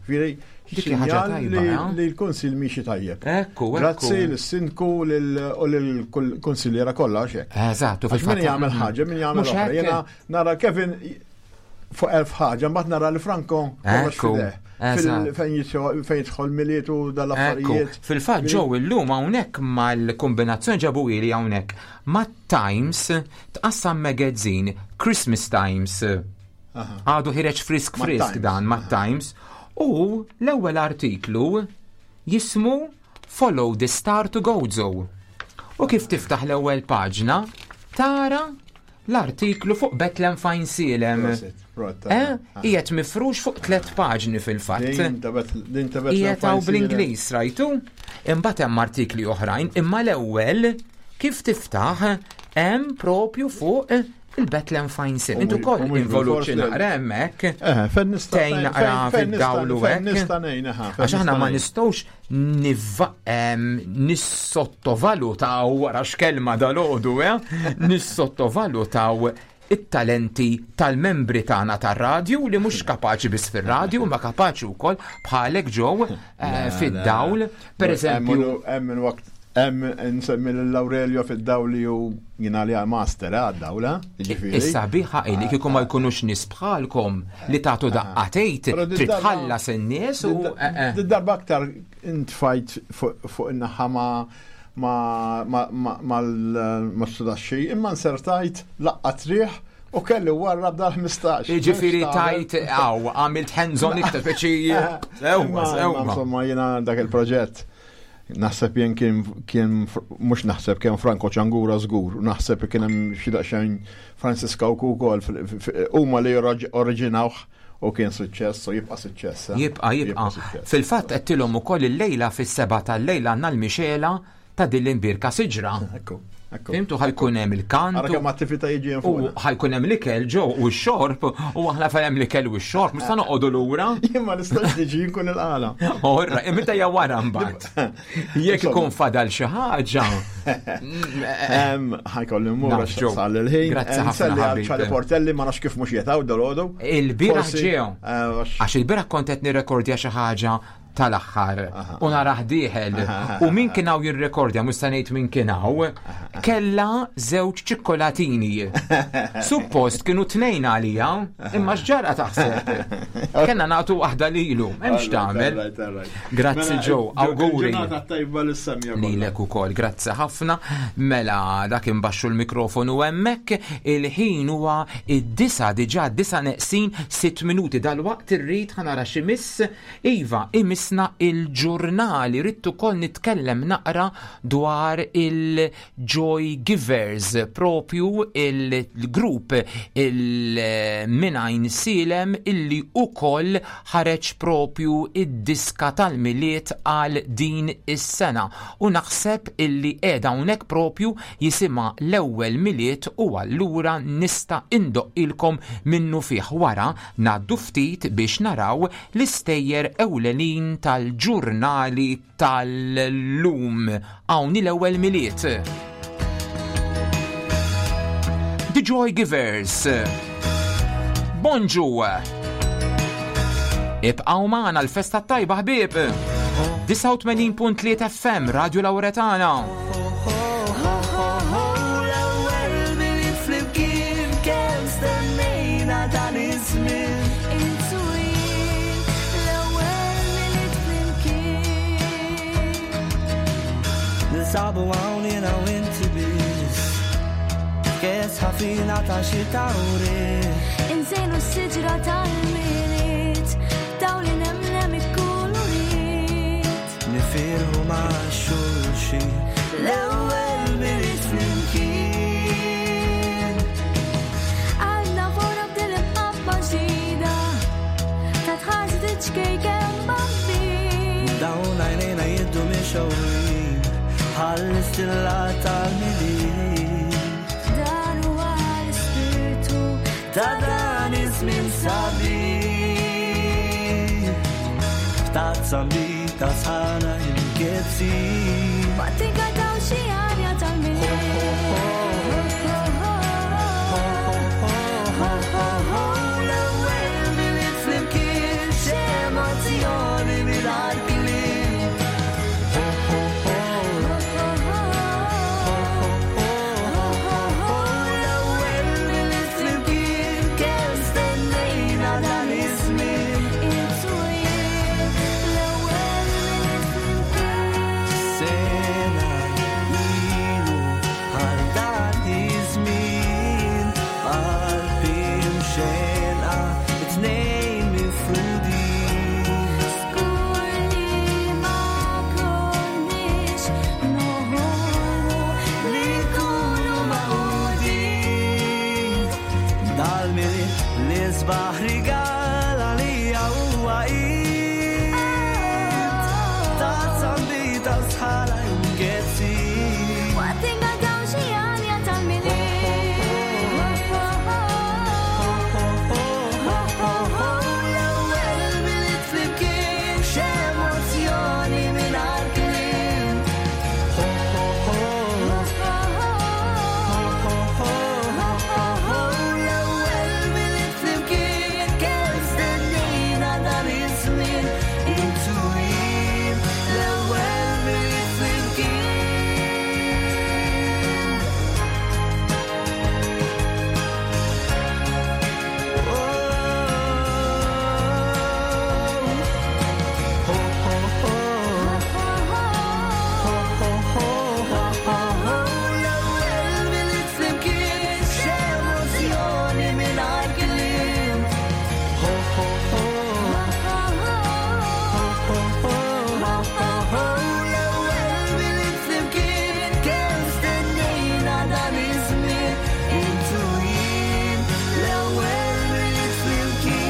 Speaker 5: Dik ħaġa tajba. Eh? Li l-Kunsil miexi tajjeb.
Speaker 6: Ekku,
Speaker 5: Grazzi l-Sindku u l-Kunsilliera kollha għax hekk.
Speaker 6: Eżatt,
Speaker 5: fil-fatt. Min jagħmel ħaġa, min jagħmel oħra. Jiena nara Kevin fuq elf ħaġa, mbagħad nara li Franco kollox fideh. Fejn jidħol miliet u dal-affarijiet.
Speaker 6: Fil-fatt ġew illum hawnhekk mal-kombinazzjoni ġabu ili hawnhekk mat-Times tqassam magazine Christmas Times. Għadu ħireġ frisk frisk dan mat-Times. U l-ewwel artiklu jismu Follow the Star to Gozo. U kif tiftaħ l-ewwel paġna, tara l-artiklu fuq Bethlehem Fine Sielem. Eh? Qiegħed mifrux fuq tliet paġni fil-fatt. Qiegħed hawn bl-Ingliż rajtu? Imbagħad hemm artikli oħrajn, imma l-ewwel kif tiftaħ hemm propju fuq Il-Bethlehem Fine Sim. Intu koll involut xi naqra hemmhekk.
Speaker 5: Eh, fejn nista'
Speaker 6: Tgħin naqra fid-dawl u hekk.
Speaker 5: Nista' ngħin, aha.
Speaker 6: Għax aħna ma nistgħux nissottovalutaw wara x'kelma dal-għodu, eh? Nissottovalutaw it-talenti tal-membri tagħna tar-radju li mhux kapaċi biss fir-radju ma kapaċi wkoll bħalek ġew eh, fid-dawl. Per eżempju,
Speaker 5: hemm waqt Hemm nsemmi lil Aurelio fid-dawl li hu jien għalija master eh, għad-dawl, eh, jiġifieri.
Speaker 6: Is-sabiħa hi li kieku ma jkunux nies bħalkom li tagħtu ah. daqqa tgħid trid tħallas in-nies u.
Speaker 5: Eh, eh. Darba aktar intfajt fuq in-naħa ma' mal-sudaxxi, imma nsertajt laqqa triħ u kelli warra b'dal 15.
Speaker 6: Ġifiri tajt, għaw, għamilt hands-on iktar, speċi.
Speaker 5: Sewwa, sewwa. Insomma, jena dak il-proġett. Naħseb jien kien kien mhux naħseb kien Franco Ċangura żgur, u naħseb kien hemm xi daqsxejn Francis Kawku wkoll huma li oriġinawh u kien suċċess u jibqa' suċċess.
Speaker 6: Eh? Jibqa' jibqa'. Fil-fatt qedtilhom ukoll illejla fis-seba' tal-lejl għandna l-mixela ta' din l-imbirka siġra.
Speaker 5: Ekku.
Speaker 6: Fimtu ħajkun hemm il-kant.
Speaker 5: Ara kemm attività jiġi hemm
Speaker 6: fuq. U ħajkun hemm l-ikel ġew u x-xorb u aħna fejn hemm l-ikel u x-xorb mhux se noqogħdu lura.
Speaker 5: Jien ma nistax niġi nkun il-qala.
Speaker 6: Orra, imma hija wara mbagħad. Jekk ikun fadal xi ħaġa.
Speaker 5: Ħajkolli mmur sal il-ħin.
Speaker 6: Grazzi ħafna.
Speaker 5: Ċali Portelli ma nafx kif mhux jetaw dal-għodu.
Speaker 6: Il-bieraħ ġew. Eh, Għax il-bieraħ kont qed nirrekordja xi ħaġa tal-aħħar u narah dieħel u min kien hawn jirrekordja mhux se ngħid min kien hawn kellha żewġ ċikkolatini. Suppost kienu tnejn għalija, imma x'ġara taħseb. Kellna nagħtu waħda lilu, m'hemmx tagħmel. Grazzi
Speaker 5: Mela,
Speaker 6: Joe, awguri.
Speaker 5: Ġurnata tajba lis-semja.
Speaker 6: Lilek ukoll, grazzi ħafna. Mela dak imbaxxu l-mikrofonu hemmhekk, il-ħin huwa id-disa diġà disa neqsin sitt minuti dal-waqt irrid ħanara xi miss Iva, imiss Ħallisna il-ġurnali, ridt ukoll nitkellem naqra dwar il-Joy Givers, propju il-grupp il-Minajn Silem illi ukoll ħareġ propju id-diska tal-Milied għal din is-sena u naħseb illi qiegħda hawnhekk propju jisimha L-Ewwel Milied u allura nista' indoqqilkom minnufih wara ngħaddu ftit biex naraw l-istejjer ewlenin tal-ġurnali tal-lum. Hawn hi l-Ewwel Milied. The Joy Givers. Bonġu! Ibqgħu magħna l-festa t-tajba ħbieb! 89.3 FM Radio Lauretana.
Speaker 7: Ninsabu hawn jiena u inti biss. Kes ħafina ta' xi tawri.
Speaker 4: Inżejnu s-siġra tal-milied, dawl inemnem ikkulurit.
Speaker 7: Nifirħu ma' xulxin. L-ewwel milied flimkien.
Speaker 4: Għandna fora b'din imqabba ġdida, ta' tħarsi tiċkejken bambin.
Speaker 7: Dawn għajnejna jiddu mixgħurin bħall-istilla tal-milied.
Speaker 4: Dan huwa l-ispirtu
Speaker 7: Ta' dan iż-żmien sabiħ. F'tazza mbita sħana imkezzin.
Speaker 4: Waqt inkantaw xi għanja tal-milied.
Speaker 7: L-ewwel milied flimkien x'emozzjoni mingħajr kliem. L-ewwel milied flimkien kemm stennejna dan iż-żmien.
Speaker 4: Intu jien l-ewwel milied flimkien.
Speaker 7: Sena ilu għal dan iż-żmien qalbi mxenqa tnejn mifrudin.
Speaker 4: Skur li ma konniex noħolmu
Speaker 7: li nkunu magħqudin. Dal-milied li sbaħ rigal għalija huwa id. Ta' zambita sħala imkezzin.
Speaker 4: Waqt inkantaw xi għanja tal-milied.
Speaker 7: L-ewwel milied flimkien x'emozzjoni mingħajr kliem. L-ewwel milied flimkien kemm stennejna dan iż-żmien. Intu jien l-ewwel milied flimkien. L-ewwel milied flimkien x'emozzjoni mingħajr kliem. L-ewwel milied flimkien kemm stennejna dan iż-żmien. Intu jien l-ewwel milied flimkien.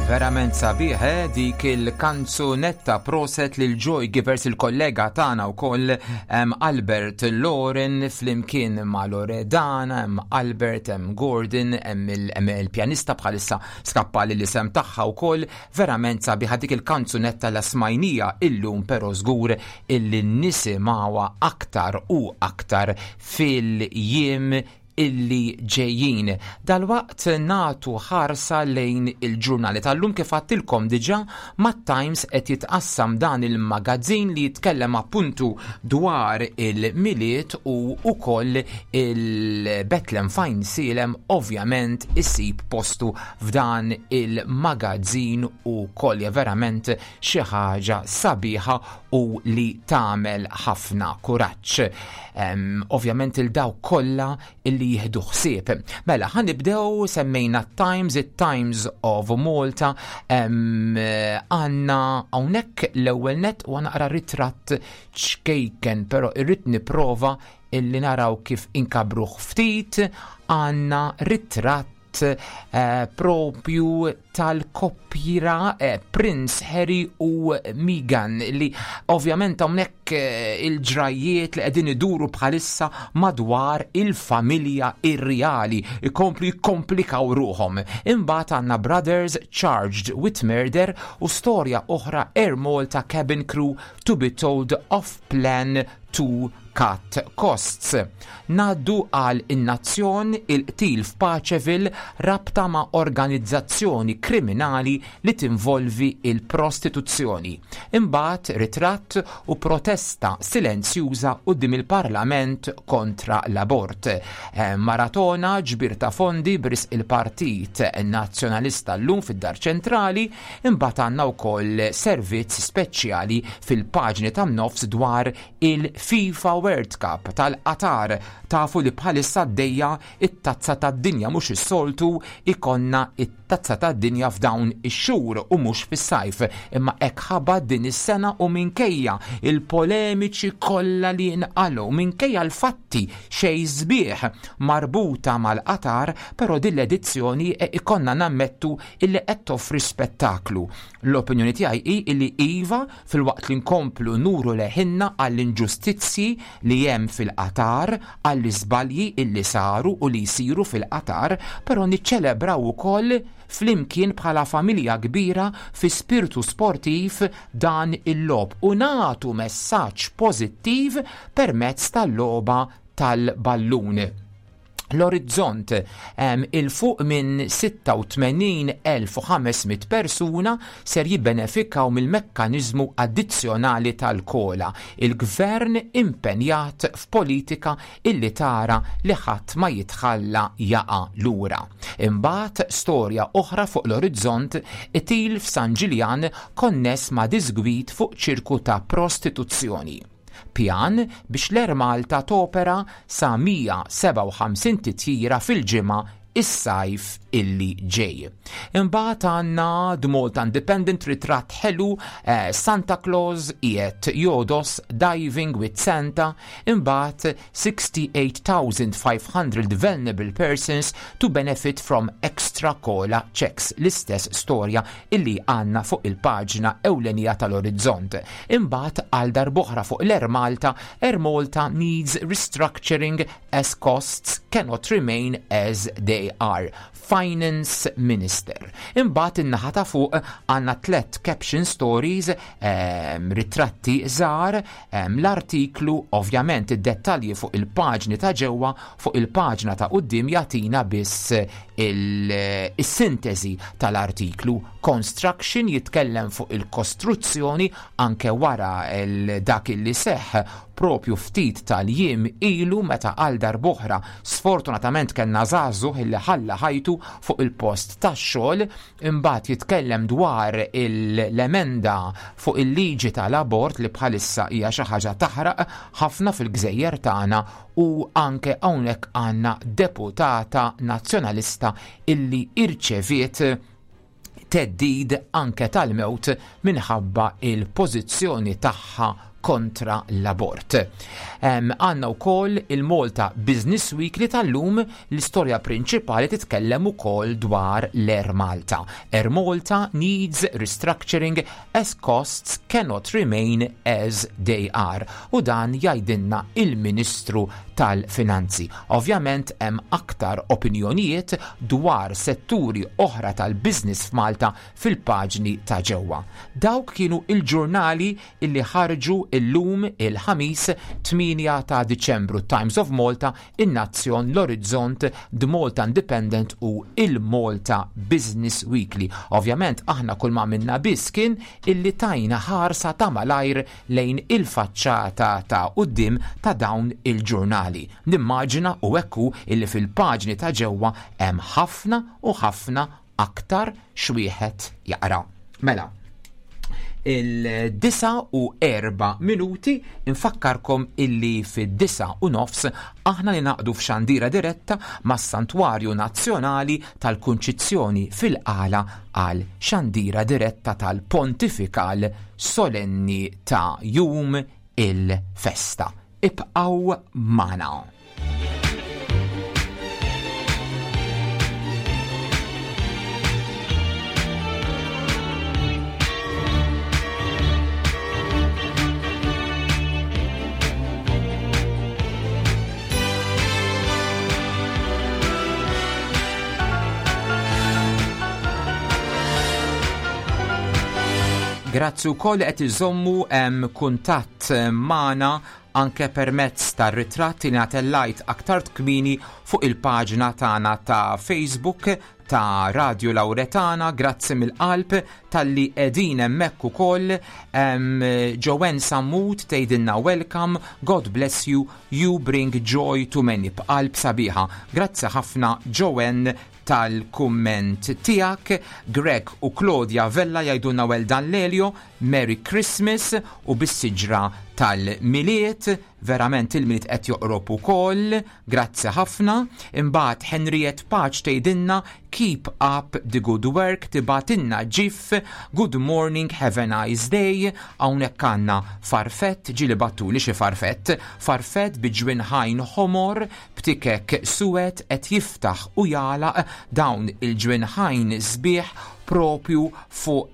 Speaker 6: Verament sabiħ, eh, dik il-kanzunetta proset lil Joy Givers il-kollega tagħna wkoll hemm Albert Loren flimkien ma' Loredana, hemm Albert, hemm Gordon, hemm il-pjanista bħalissa skappali l-isem tagħha wkoll. Verament sabiħa dik il-kanzunetta la smajnija illum però żgur illi nisimgħuha aktar u aktar fil-jiem illi ġejjin. Dalwaqt nagħtu ħarsa lejn il-ġurnali tal-lum kif għattilkom diġà mat-Times qed jitqassam dan il-magazzin li jitkellem appuntu dwar il-Milied u wkoll il-Bethlehem Fine Silem ovvjament isib postu f'dan il-magazzin u koll hija verament xi ħaġa sabiħa u li tagħmel ħafna kuraġġ. Ovvjament il-daw kollha illi illi jieħdu ħsieb. Mela, ħa nibdew semmejna Times, it-Times of Malta, għandna hawnhekk l-ewwel net u naqra ritratt ċkejken, però irrid nipprova illi naraw kif inkabruh ftit, għandna ritratt eh, propju tal-koppjira eh, Prince Harry u Meghan li ovvjament hawnhekk eh, il-ġrajiet li qegħdin iduru bħalissa madwar il-familja irreali ikomplu jikkomplikaw ruħhom. Imbagħad għandna Brothers Charged with Murder u storja oħra Air Malta Cabin Crew to be told of plan to cut costs. Ngħaddu għal In-Nazzjon, il-qtil f'Paceville rabta ma' organizzazzjoni kriminali li tinvolvi il-prostituzzjoni. Imbagħad ritratt u protesta silenzjuża quddiem il-Parlament kontra l-abort. Eh, maratona ġbir ta' fondi b'risq il-Partit Nazzjonalista llum fid-Dar Ċentrali, imbagħad għandna wkoll servizz speċjali fil-paġni tan-nofs dwar il-FIFA World Cup tal-Qatar. Tafu li bħalissa għaddejja it-tazza tad-dinja mhux is-soltu ikonna it-tazza tad-dinja f'dawn ix-xhur u mhux fis-sajf. Imma hekk ħabat din is-sena u minkejja il-polemiċi kollha li nqalgħu, minkejja l-fatti xejn sbieħ marbuta mal-Qatar, però din l-edizzjoni ikonna nammettu illi qed toffri spettaklu. L-opinjoni tiegħi hi illi iva filwaqt li nkomplu nuru leħinna għall-inġustizzji li hemm fil-Qatar, għall-iżbalji illi saru u li jsiru fil-Qatar, però niċċelebraw ukoll flimkien bħala familja kbira fi spirtu sportiv dan il-logħob u nagħtu messaġġ pożittiv permezz tal-logħba tal-ballun. L-Orizzont 'il fuq minn 86,500 persuna ser jibbenefikaw mill-mekkaniżmu addizzjonali tal-kola. Il-Gvern impenjat f'politika illi tara li ħadd ma jitħalla jaqa' lura. Imbagħad storja oħra fuq l-Orizzont qtil f'San Ġiljan konness ma' disgwid fuq ċirku ta' prostituzzjoni. Pjan biex l-Air Malta topera sa 157 titjira fil-ġimgħa is-sajf illi ġej. Imbagħad għandna The Malta Independent ritratt ħelu eh, Santa Claus qiegħed jodos Diving with Santa, imbagħad 68,500 vulnerable persons to benefit from extra cola checks, l-istess storja illi għandna fuq il-paġna ewlenija tal-Orizzont. Imbagħad għal darb'oħra fuq l-Air Malta, Air Malta needs restructuring as costs cannot remain as they are. Finance Minister. Imbagħad in-naħa ta' fuq għandna tlet caption stories, ritratti żgħar, l-artiklu, ovvjament id-dettalji fuq il-paġni ta' ġewwa, fuq il-paġna ta' quddiem jagħtina biss il-sintesi tal-artiklu. Construction jitkellem fuq il-kostruzzjoni anke wara dak li seħ propju ftit tal-jiem ilu meta għal darb'oħra sfortunatament kellna żagħżugħ illi ħalla ħajtu fuq il-post tax-xogħol. Imbagħad jitkellem dwar l-emenda fuq il-liġi tal-abort li bħalissa hija xi ħaġa taħraq ħafna fil-gżejjer tagħna u anke hawnhekk għandna deputata nazzjonalista illi irċeviet theddid anke tal-mewt minħabba il-pożizzjoni tagħha kontra l-abort. Għandna wkoll il-Malta Business Weekly tal-lum l-istorja prinċipali titkellem ukoll dwar l-Air Malta. Air Malta needs restructuring as costs cannot remain as they are. U dan jgħidilna il-Ministru tal-Finanzi. Ovvjament hemm aktar opinjonijiet dwar setturi oħra tal-business f'Malta fil-paġni ta' ġewwa. Dawk kienu il-ġurnali illi ħarġu illum il-Ħamis 8 ta' Diċembru Times of Malta, in-Nazzjon, l-Orizzont, The Malta Independent u il-Malta Business Weekly. Ovvjament aħna kull ma minna biss kien illi tajna ħarsa ta' malajr lejn il-faċċata ta' quddiem ta' dawn il-ġurnali. Nimmaġina u ekku illi fil-paġni ta' ġewwa hemm ħafna u ħafna aktar x'wieħed jaqra. Mela, Il-9 u 4 minuti infakkarkom illi fid-9 u nofs aħna ninaqdu f'xandira diretta mas-Santwarju Nazzjonali tal-Kunċizzjoni fil-Qala għal xandira diretta tal-Pontifikal Solenni ta' Jum il-Festa. Ibqgħu magħna. Grazzi wkoll qed iżommu hemm kuntatt magħna anke permezz tar-ritratt li natellajt aktar kmieni fuq il-paġna tagħna ta' Facebook ta' Radio Lauretana, grazzi mill-qalb talli qegħdin hemmhekk ukoll. Joanne Sammut tgħidilna welcome, God bless you, you bring joy to many b'qalb sabiħa. Grazzi ħafna Joanne tal-kumment tiegħek. Greg u Claudia Vella jgħidulna well done Lelio, Merry Christmas u bis-siġra tal-Milied, verament il-Milied qed joqrob ukoll, grazzi ħafna. Imbagħad Henriette Paċ tgħidilna keep up the good work, tibgħatilna ġif, good morning, have a nice day. Hawnhekk għandna farfett, ġieli battuli xi farfett, farfett bi ġwinħajn ħomor, b'tikek suwed qed jiftaħ u jagħlaq dawn il-ġwinħajn sbieħ propju fuq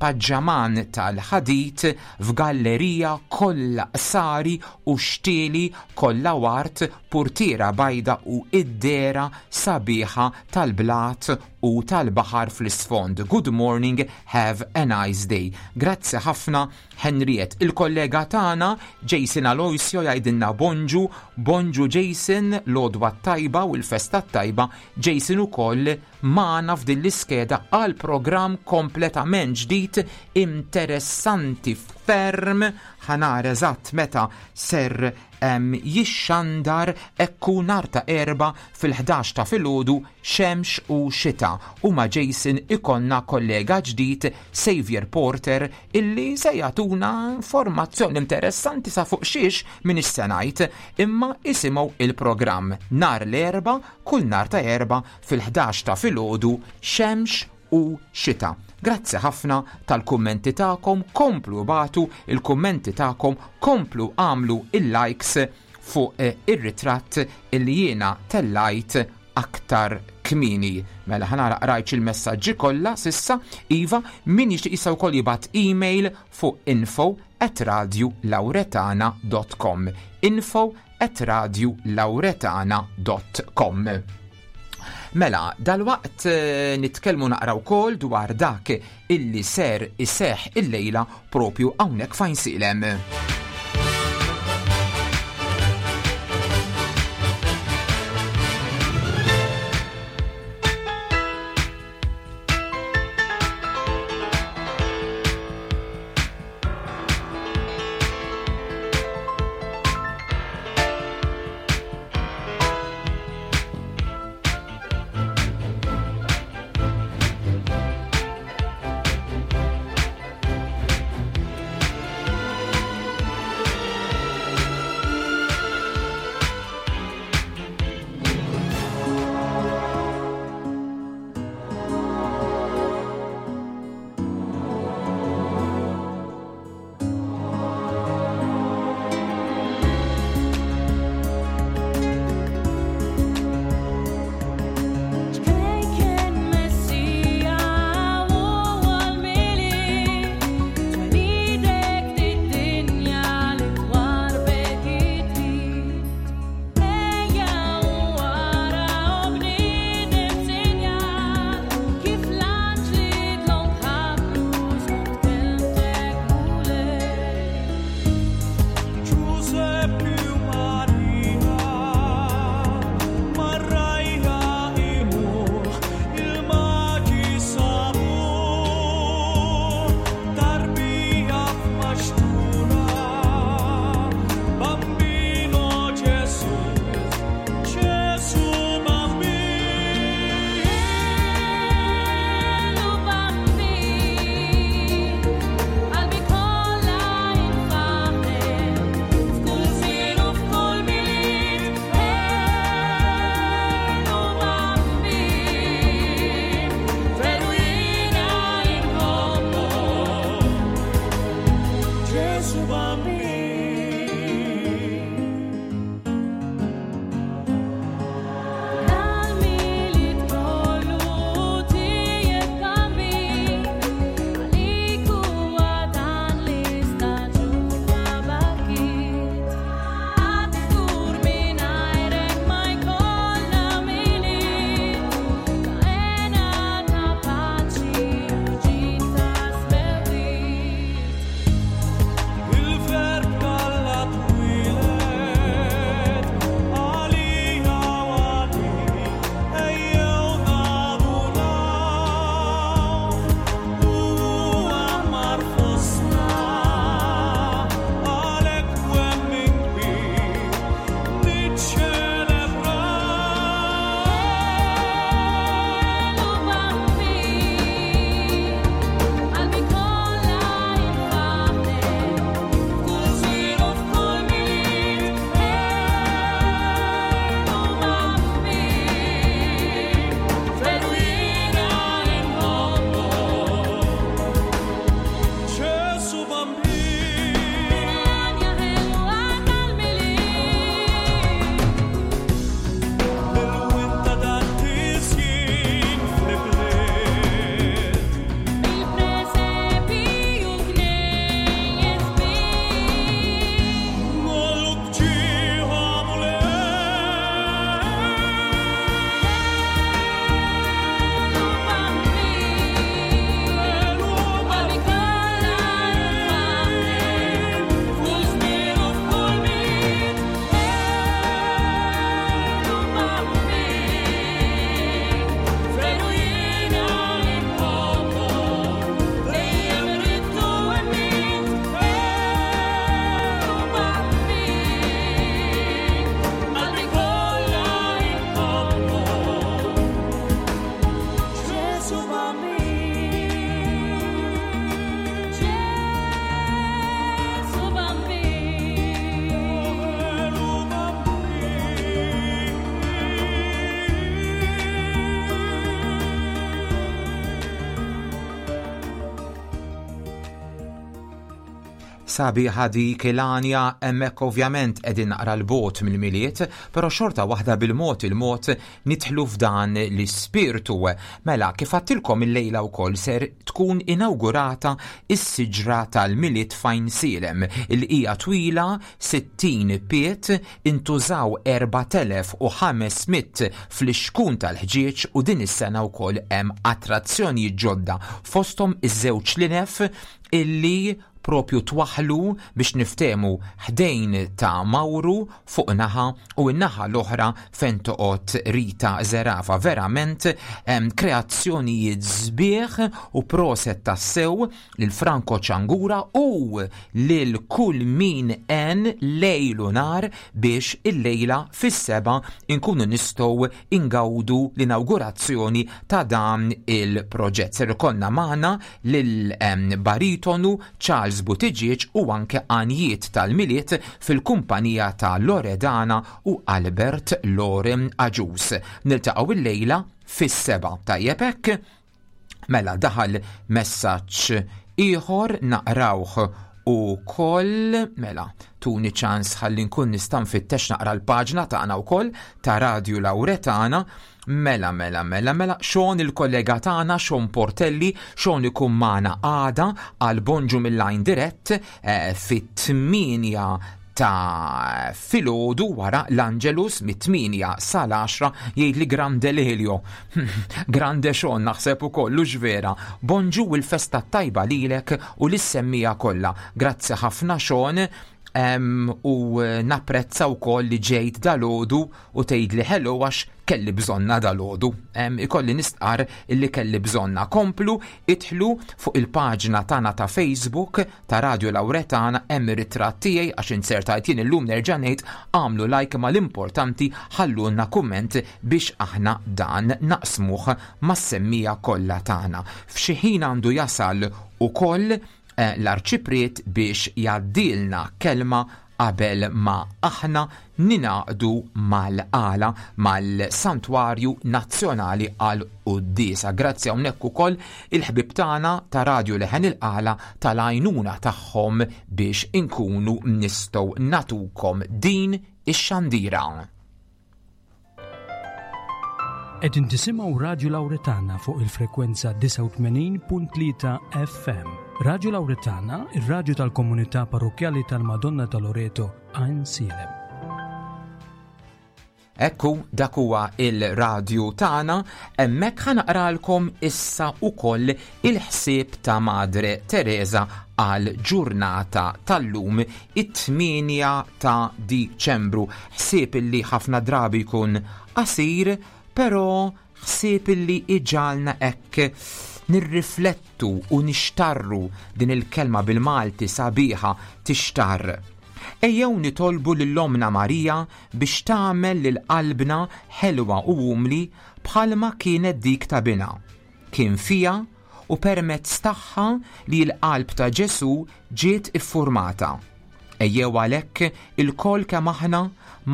Speaker 6: paġġaman tal-ħadid f'gallerija kollha qsari u xtieli kollha ward, purtiera bajda u id-dehra sabiħa tal-blat u tal-baħar fl-isfond. Good morning, have a nice day. Grazzi ħafna Henriette. Il-kollega tagħna Jason Aloisio jgħidilna bonġu, bonġu Jason, l-għodwa t-tajba u l-festa t-tajba. Jason ukoll magħna f'din l-iskeda għal programm kompletament ġdid interessanti ferm. Ħanar eżatt meta ser jixxandar ekku nhar ta' Erbgħa fil-11 ta' filgħodu xemx u xita. U ma' Jason ikollna kollega ġdid Xavier Porter illi se jagħtuna informazzjoni interessanti sa fuq xiex m'iniex se ngħid, imma isimgħu il-programm nhar l-Erbgħa kull nhar ta' Erbgħa fil-11 ta' filgħodu xemx u xita. Grazzi ħafna tal-kummenti tagħkom, komplu bagħtu il-kummenti tagħkom, komplu għamlu il-likes fuq ir-ritratt illi jiena tellajt aktar kmieni. Mela ħanara qrajtx il-messaġġi kollha sissa, iva, min jixtieq jista' wkoll jibgħat email fuq info at radiolauretana.com info at radiolauretana.com. Mela, dalwaqt nitkellmu naqra wkoll dwar dak illi ser iseħħ illejla propju hawnhekk f'Għajnsielem. Sabiħa dik il-għanja hemmhekk ovvjament qegħdin naqra 'l bogħod mill-Milied, però xorta waħda bil-mod il-mod nidħlu f'dan l-ispirtu. Mela, kif għadtilkom illejla wkoll ser tkun inawgurata s-siġra tal-Milied f'Għajnsielem, li hija twila 60 pied, intużaw 4,500 flixkun tal-ħġieġ u din is-sena wkoll hemm attrazzjonijiet ġodda fosthom iż-żewġ linef illi propju twaħħlu biex niftehmu ħdejn ta' Mawru fuq naħa u n-naħa l-oħra fejn toqgħod Rita Zerafa. Verament kreazzjonijiet sbieħ u proset tassew lil Franco Ciangura u lil kull min għen lejl u nhar biex illejla fis-sebgħa nkunu nistgħu ingawdu l-inawgurazzjoni ta' dan il-proġett. Ser ikollna magħna lil baritonu Charles Buttigieg u anke għanjiet tal-Milied fil-kumpanija ta' Loredana u Albert Loren Agius. Niltaqgħu illejla fis-sebgħa. Tajjeb hekk? Mela daħal messaġġ ieħor naqrawh ukoll mela tuni ċans ħalli nkun nista' nfittex naqra l-paġna tagħna wkoll ta' Radju Lawretana. Mela, mela, mela, mela, Sean il-kollega tagħna, Sean Portelli, Sean ikun magħna għada għal Bonġu mill-Line Dirett eh, fit-8 ta' filgħodu wara l-Angelus mit-8 sal-10 jgħid li Grande Lelio. Grande Sean naħseb ukoll hux vera. Bonġu u l-festa tajba lilek u lis-semmija kollha. Grazzi ħafna Sean u napprezza wkoll li ġejt dalgħodu u tgħidli hello għax kelli bżonna dalgħodu. Ikolli nistqar illi kelli bżonna. Komplu idħlu fuq il-paġna tagħna ta' Facebook ta' Radio Lauretana hemm ir-ritratt tiegħi għax inzertajt jien illum nerġa' ngħid għamlu like ma l-importanti ħallulna kumment biex aħna dan naqsmuh mas-semmija kollha tagħna. F'xi ħin għandu jasal ukoll eh, l-Arċipriet biex jgħaddilna kelma qabel ma aħna ningħaqdu mal-għala mal-Santwarju Nazzjonali għal Quddiesa. Grazzi hawnhekk ukoll il-ħbieb tagħna ta' Radju Leħen il-Qala tal-għajnuna tagħhom biex inkunu nistgħu natukom din ix-xandira.
Speaker 1: Qegħdin tisimgħu Radju Lawretana fuq il-frekwenza 89.3 FM. Radju Lawretana, ir-radju tal-komunità parrokkjali tal-Madonna ta' Loreto, Għajn Sielem.
Speaker 6: Ekku, dak huwa il-radju tagħna, hemmhekk ħa naqralkom issa ukoll il-ħsieb ta' Madre Teresa għal ġurnata tal-lum it-8 ta' Diċembru. Ħsieb illi ħafna drabi jkun qasir, però ħsieb illi iġagħalna hekk nirriflettu u nixtarru din il-kelma bil-Malti sabiħa tixtarr. Ejjew nitolbu lil Ommna Marija biex tagħmel lil qalbna ħelwa u umli bħalma kienet dik ta' Binha. Kien fiha u permezz tagħha li l-qalb ta' Ġesù ġiet iffurmata. Ejjew għalhekk ilkoll kemm aħna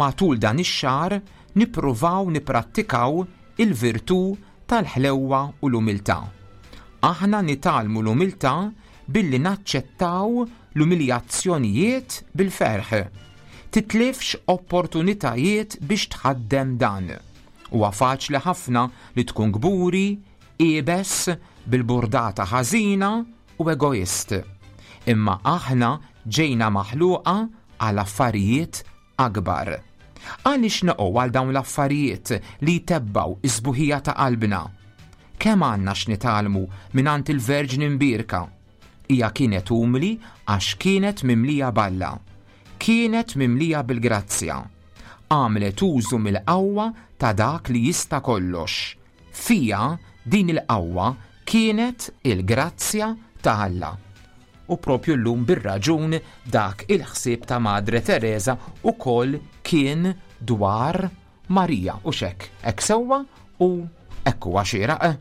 Speaker 6: matul dan ix-xahar nippruvaw nipprattikaw il-virtù tal-ħlewwa u l-umiltà. Aħna nitgħallmu l-umiltà billi naċċettaw l-umiljazzjonijiet bil-ferħ. Titlifx opportunitajiet biex tħaddem dan. Huwa faċli ħafna li tkun kburi, iebes, bil-burdata ħażina u egoist. Imma aħna ġejna maħluqa għal affarijiet akbar. Għaliex neqgħu għal dawn l-affarijiet li jtebbgħu s-sbuħija ta' qalbna? Kemm għandna x'nitgħallmu mingħand il-Verġni Mbierka! Hija kienet umli għax kienet mimlija b'Alla. Kienet mimlija bil-grazzja. Għamlet użu mill-qawwa ta' dak li jista' kollox. Fiha din il-qawwa kienet il-grazzja ta' Alla. U propju llum bir-raġun dak il-ħsieb ta' Madre Teresa ukoll kien dwar Marija u x'hekk, hekk sewwa u hekk huwa xieraq.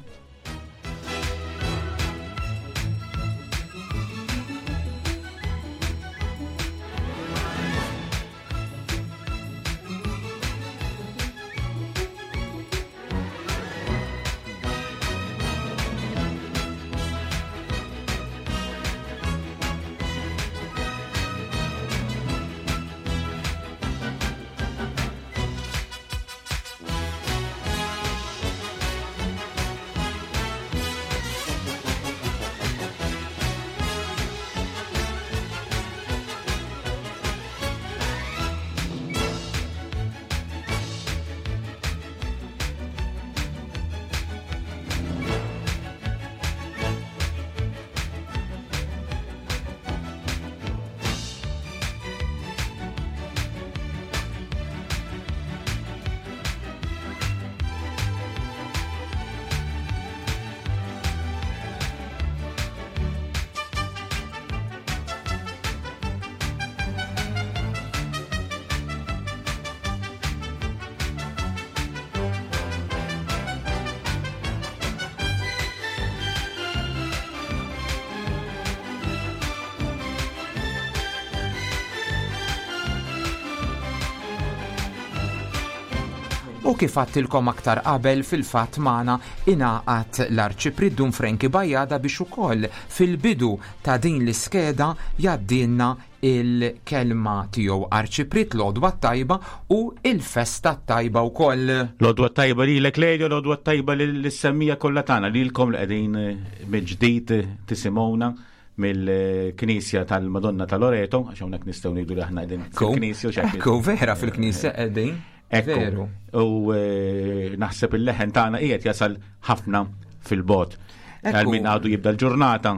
Speaker 6: U kif għattilkom aktar qabel fil-fatt magħna ingħaqad l-Arċipriet Dun Frankie Bajada biex ukoll fil-bidu ta' din l-iskeda jgħaddilna il-kelma tiegħu. Arċipriet l-għodwa t-tajba u il-festa t-tajba wkoll.
Speaker 2: L-għodwa t-tajba lilek Lelio, l-għodwa t-tajba lis-semmija kollha tagħna lilkom li qegħdin mill-ġdid tisimgħuna mill-Knisja tal-Madonna ta' Loreto, għax hawnhekk nistgħu ngħidu li aħna qegħdin fil-Knisja.
Speaker 6: Ekku, vera fil-Knisja qegħdin.
Speaker 2: Ekku. Veru. U eh, naħseb il-leħen tagħna qiegħed jasal ħafna fil-bot. Għal min għadu jibda l-ġurnata,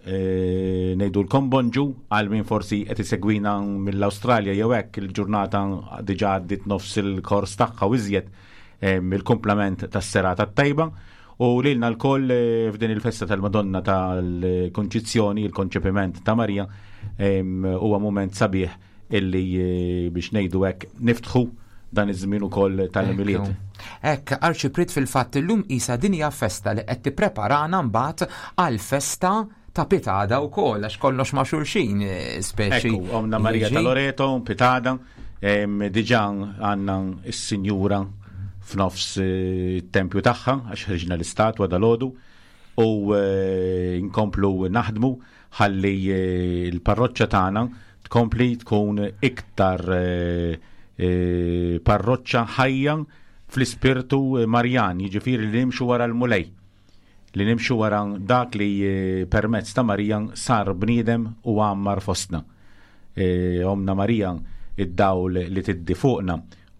Speaker 2: eh, ngħidulkom bonġu għal min forsi qed isegwina mill-Awstralja jew hekk il-ġurnata diġà għaddiet nofs il-kors tagħha u iżjed eh, mill-kumplament tas-serata t-tajba. U lilna lkoll eh, f'din il-festa tal-Madonna tal-Konċizzjoni, il-konċepiment ta' Marija, huwa mument sabiħ illi eh, biex ngħidu hekk niftħu dan iż-żmien ukoll tal-Milied.
Speaker 6: Hekk, Arċipriet fil-fatt illum qisha din hija festa li qed tippreparana mbagħad għall-festa ta' Pitada wkoll għax kollox ma' xulxin eh, speċi.
Speaker 2: Ekku, għomna Marija ta' Loreto, Pitada, diġà għandna s-Sinjura f'nofs eh, it-tempju tagħha għax ħriġna l-istatwa dal-għodu u eh, nkomplu naħdmu ħalli l-parroċċa tagħna tkompli tkun iktar parroċċa ħajja fl-ispirtu Marjan, jiġifieri li nimxu wara l-Mulej. li nimxu wara dak li eh, permezz ta' Marija sar bniedem u għammar fostna. E, Omna Marija, id-dawl li tiddi fuqna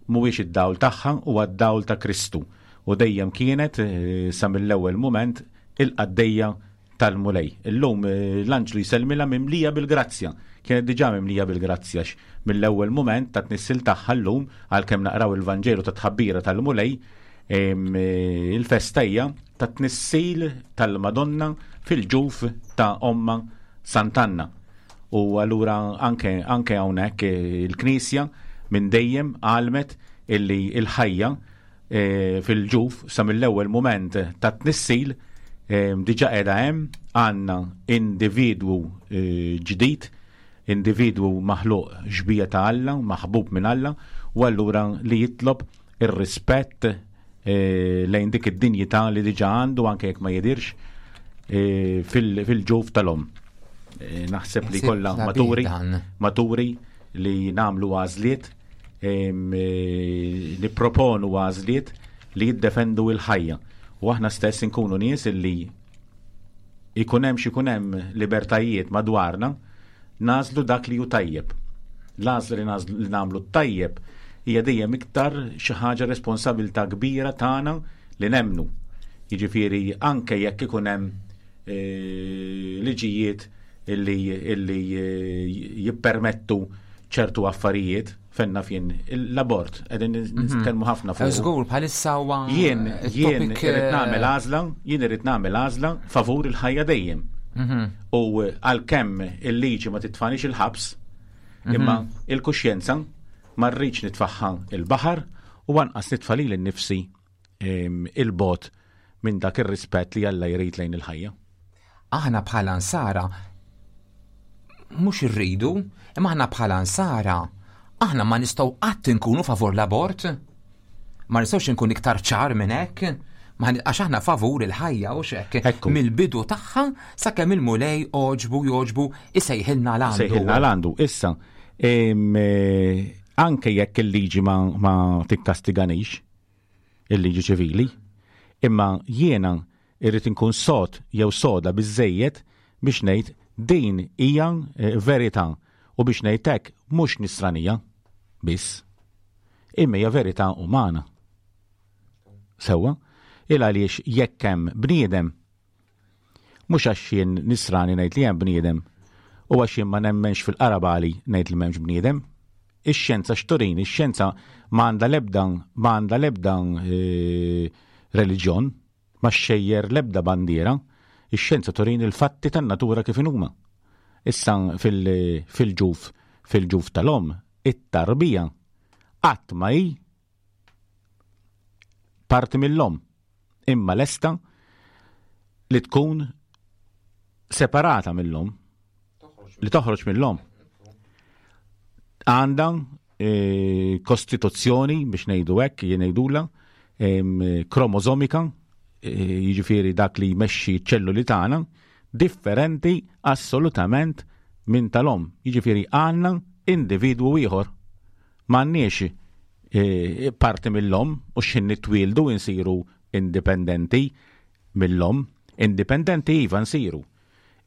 Speaker 2: mhuwiex id-dawl tagħha huwa d-dawl ta' Kristu u dejjem kienet eh, sa mill-ewwel mument il-qaddejja tal-Mulej. Illum eh, l-anġlu jsellmilha mimlija bil-grazzja. Kienet diġà mimlija bil-grazzja mill-ewwel mument ta' tnissil tagħha llum għalkemm naqraw il-Vanġelu ta' tħabbira tal-Mulej eh, il-festa hija ta' tnissil tal-Madonna fil-ġuf ta' omma Sant'Anna. U allura anke anke hawnhekk eh, il-Knisja minn dejjem għalmet illi il-ħajja E, fil-ġuf sa mill-ewwel mument ta' tnissil e, diġa qiegħda hemm għandna individwu e, ġdid, individwu maħluq xbija ta' Alla, maħbub minn Alla, u allura li jitlob ir-rispett lejn dik id-dinjità li diġa għandu anke jekk ma jidirx fil-ġuf tal-om. Naħseb li kollha maturi, maturi li namlu għażliet Eh, nipproponu għażliet li jiddefendu il-ħajja. U aħna stess inkunu nies illi ikun hemm x'ikun hemm libertajiet madwarna, nażlu dak li hu tajjeb. L-għażla li nażlu li nagħmlu tajjeb hija dejjem iktar xi ħaġa responsabilità kbira tagħna li nemmnu. Jiġifieri anke jekk ikun hemm eh, liġijiet illi, illi eh, jippermettu ċertu affarijiet fenna fien l-abort qegħdin mhm. nitkellmu ħafna fuq.
Speaker 6: Żgur bħalissa huwa
Speaker 2: jien jien irid nagħmel eh, għażla, jien irid nagħmel għażla favur il-ħajja dejjem. Mhm. U għalkemm il-liġi ma titfanix il-ħabs, mhm. imma il-kuxjenza ma rridx nitfaħħa il-baħar u anqas nitfa' lili nnifsi il-bot minn dak ir-rispett li Alla jrid lejn il-ħajja.
Speaker 6: Aħna bħala nsara mhux irridu, imma aħna bħala nsara aħna ma nistgħu qatt inkunu favur l-abort. Ma nistgħux inkun iktar ċar minn hekk. Għax aħna favur il-ħajja u xek. Mill-bidu tagħha sakemm il-mulej oġbu joġbu isejħilna l-għandu.
Speaker 2: Sejħilna l-għandu. Issa, eh, anke jekk il-liġi ma, ma tikkastiganix, il-liġi ċivili, imma jiena irrid inkun sod jew soda biżżejjed biex ngħid din hija eh, verità u biex ngħid hekk mhux nisranija biss, imma hija verità umana. Sewwa, il għaliex jekk hemm bniedem Mhux għax jien nisrani ngħid li hemm bniedem u għax jien ma nemmenx fil-qarabali ngħid li m'hemmx bniedem. Ix-xjenza x'turini, ix-xjenza ma għandha l-ebda ma għandha l-ebda eh, reliġjon, ma xxejjer l-ebda bandiera, ix-xjenza turini l-fatti tan-natura kif inhuma. Issa fil-ġuf fil-ġuf tal-omm, it-tarbija qatt ma hi parti mill-omm, imma lesta li tkun separata mill-omm, li toħroġ mill-omm. Għandha kostituzzjoni biex ngħidu hekk, jien ngħidula, kromosomika, jiġifieri dak li jmexxi ċ-ċelluli tagħna, differenti assolutament minn tal-omm. Jiġifieri għandna individwu ieħor. M'għandniex parti mill-omm u x'ħin nitwieldu nsiru indipendenti mill-omm. Indipendenti iva nsiru.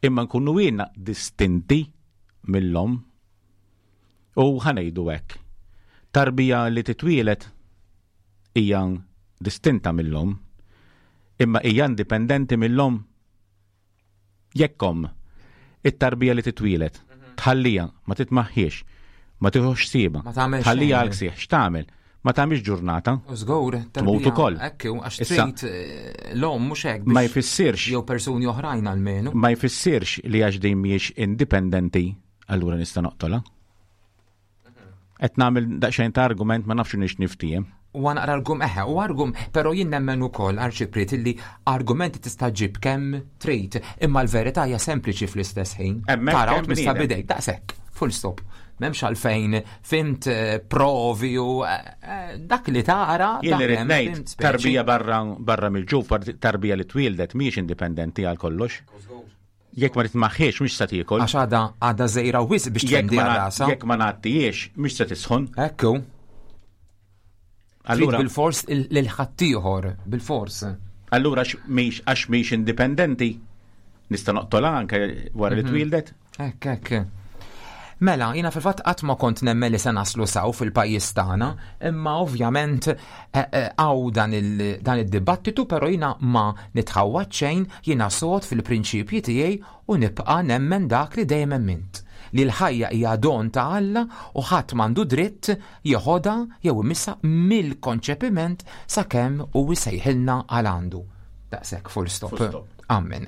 Speaker 2: Imma nkunu ilna distinti mill-omm. U ħa ngħidu hekk. Tarbija li titwieled hija distinta mill-omm, imma hija indipendenti mill-omm. Jekk omm, it-tarbija li titwieled, tħallija, ma titmaħħiex, ma tieħux ħsiebha, tħallija għal ksieħ, x'tagħmel? Ma tagħmilx ġurnata.
Speaker 6: Żgur,
Speaker 2: tmut ukoll.
Speaker 6: Hekk għax trid eh, l-omm mhux hekk.
Speaker 2: Ma jfissirx.
Speaker 6: Jew persuni oħrajn almenu.
Speaker 2: Ma jfissirx li għax din mhijiex indipendenti allura nista' noqtolha. Qed nagħmel daqsxejn ta' argument ma nafx nix niftiehem.
Speaker 6: U naqra argum eħe, u argum, però jien nemmen ukoll arċipriet illi argumenti tista' ġib kemm trid, imma l-verità hija sempliċi fl-istess ħin. Tara u tmissa bidejk, daqshekk, full stop. M'hemmx għalfejn fimt eh, provi u eh, eh, dak li tara.
Speaker 2: Jien irid ngħid tarbija barra barra mill-ġuf, tarbija li twieldet mhijiex indipendenti għal kollox. Jekk ma titmaħħiex mhux se tiekol.
Speaker 6: Għax għadha għadha żejra wisq biex tfendi rasha.
Speaker 2: Jekk ma ngħattijiex mhux se tisħon.
Speaker 6: Ekku. Allura bil-fors lil ħaddieħor, bil-fors.
Speaker 2: Allura għax mhix indipendenti nista' noqtolha anke wara li mhm. twildet?
Speaker 6: Hekk, hekk. Mela, jiena fil-fatt qatt ma kont nemmen li se naslu saw fil-pajjiż tagħna, imma ovvjament eh, eh, hawn dan id-dibattitu, però jiena ma nitħawwad xejn, jiena sod fil-prinċipji tiegħi u nibqa' nemmen dak li dejjem emmint. Li l-ħajja hija don ta' Alla u ħadd m'għandu dritt jeħodha jew imissha mill-konċepiment sakemm hu jsejħilna għal għandu. Daqshekk full stop. Full stop. Amen.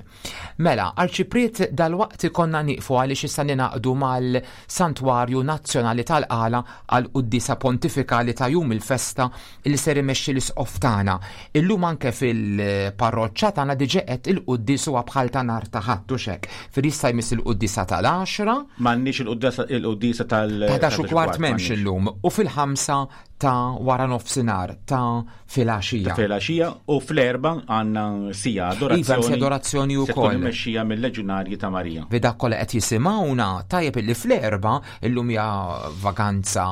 Speaker 6: Mela, Arċipriet dalwaqt ikollna nieqfu għaliex issa ningħaqdu mal-Santwarju Nazzjonali tal-Qala għall-Quddiesa Pontifikali ta' jum il-festa li ser imexxi l-Isqof tagħna. Illum anke fil-parroċċa tagħna diġà qed il-quddies huwa bħal ta' nhar ta' Ħadd hux hekk. Fir jista' jmiss il-quddiesa tal-għaxra.
Speaker 2: M'għandniex il-quddiesa tal-
Speaker 6: Ta' 11 u kwart m'hemmx illum u fil-ħamsa ta' wara nofsinhar ta' filgħaxija.
Speaker 2: Ta' filgħaxija u fl-erba għandna sija adorazzjoni.
Speaker 6: Iva, sija adorazzjoni wkoll.
Speaker 2: Se mexxija mill-Leġunarji ta' Marija.
Speaker 6: Bi dak kollha qed jisimgħuna tajjeb illi fl-erba illum hija vaganza,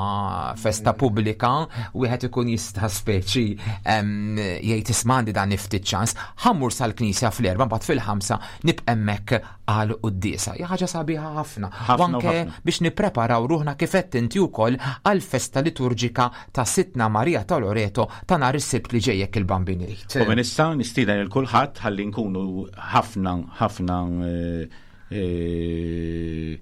Speaker 6: festa pubblika, wieħed ikun jista' speċi jgħid isma' għandi dan ftit ċans, ħammur sal-knisja fl-erba mbagħad fil-ħamsa nibqa' hemmhekk għal quddiesa. Hija ħaġa sabiħa ħafna. U anke biex nippreparaw ruħna kif qed inti wkoll għal festa liturġika ta' Sidtna Marija ta' Loreto ta' nhar is-Sibt li ġej jekk il-Bambin irid.
Speaker 2: U minn issa nistieden lil kulħadd ħalli nkunu ħafna ħafna eh, eh,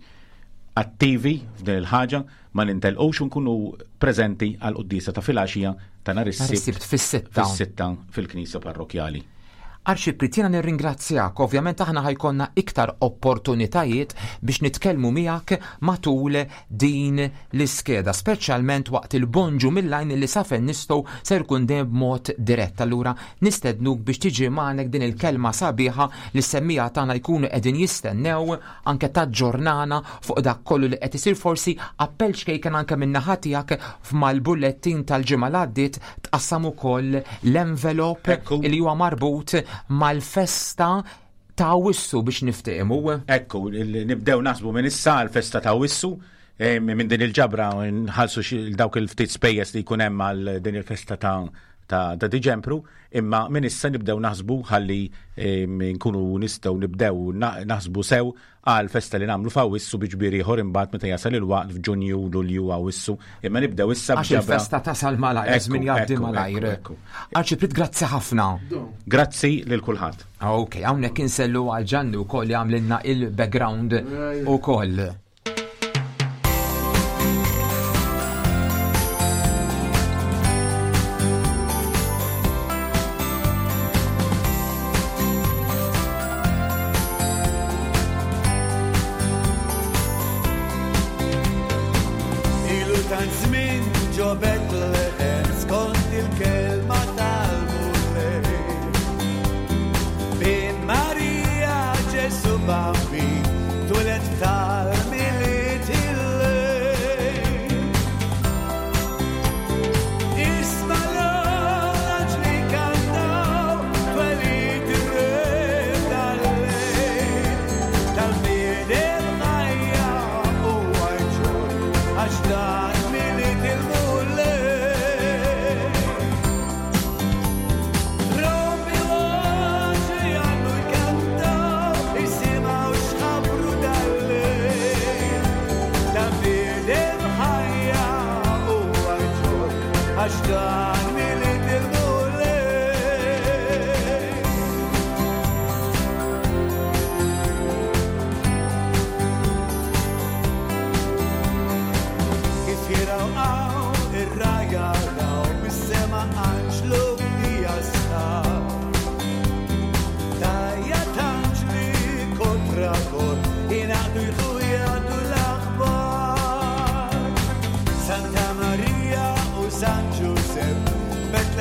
Speaker 2: attivi f'din il-ħaġa ma nintelqux u nkunu preżenti għal quddiesa ta' filgħaxija ta' nhar is-Sibt
Speaker 6: fis-sitta.
Speaker 2: Fis-sitta fil-Knisja Parrokkjali.
Speaker 6: Arċipriet jiena nirringrazzjak, ovvjament aħna ħajkonna iktar opportunitajiet biex nitkellmu miegħek matul din l-iskeda, speċjalment waqt il-bonġu mill-għajn li sa fejn nistgħu ser jkun dejjem b'mod dirett. Allura nistednuk biex tiġi magħnek din il-kelma sabiħa li s-semmiegħa tagħna jkunu qegħdin jistennew anke taġġornana fuq dak kollu li qed isir forsi appell ċkejken anke min-naħa tiegħek f'mal-bullettin tal-ġimgħa li għaddiet tqassam ukoll l-envelop li huwa marbut mal-festa ta' Awwissu biex niftehmu.
Speaker 2: Ekku, nibdew naħsbu minn issa għall-festa ta' Awwissu eh, minn din il-ġabra nħallsu dawk il-ftit spejjeż li jkun hemm għal din il-festa ta' ta' ta' Diġempru, imma minn issa nibdew naħsbu ħalli nkunu nistgħu nibdew naħsbu sew għal festa li nagħmlu f'Awwissu bi ġbir ieħor imbagħad meta jasal il-waqt f'Ġunju, Lulju, Awwissu. Imma nibdew issa
Speaker 6: Għax il-festa tasal malajr, żmien jgħaddi malajr. Arċipriet grazzi ħafna.
Speaker 2: Grazzi lil kulħadd.
Speaker 6: Ok, hawnhekk insellu għal Ġanni wkoll li għamlilna il-background ukoll.
Speaker 7: Ilu tant żmien ġo Betlehem skont il-kelma tal-Mulej. Bin Marija Ġesu Bambin twieled tal-Milied il-lejl.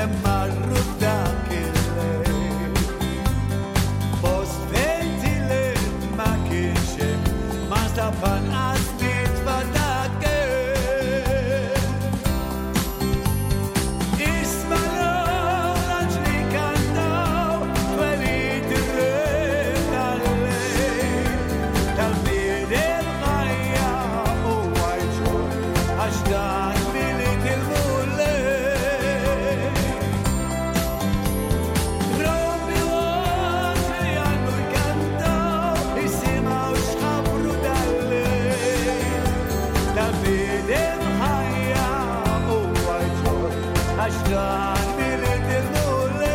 Speaker 7: Kemm marru f'dak il-lejl. Post fejn tilef ma kienx hemm, ma nstab anqas nitfa dak Isma' l-anġli kantaw twelid ir-re tal-lejl, tal-bniedem ħajja huwa jġorr għax dan Milied il-Mulej. Trombi u anġli għandu jkantaw, isimgħu x'ħabbru dal-lejl, tal-bniedem ħajja huwa jġorr għax dan Milied il-Mulej.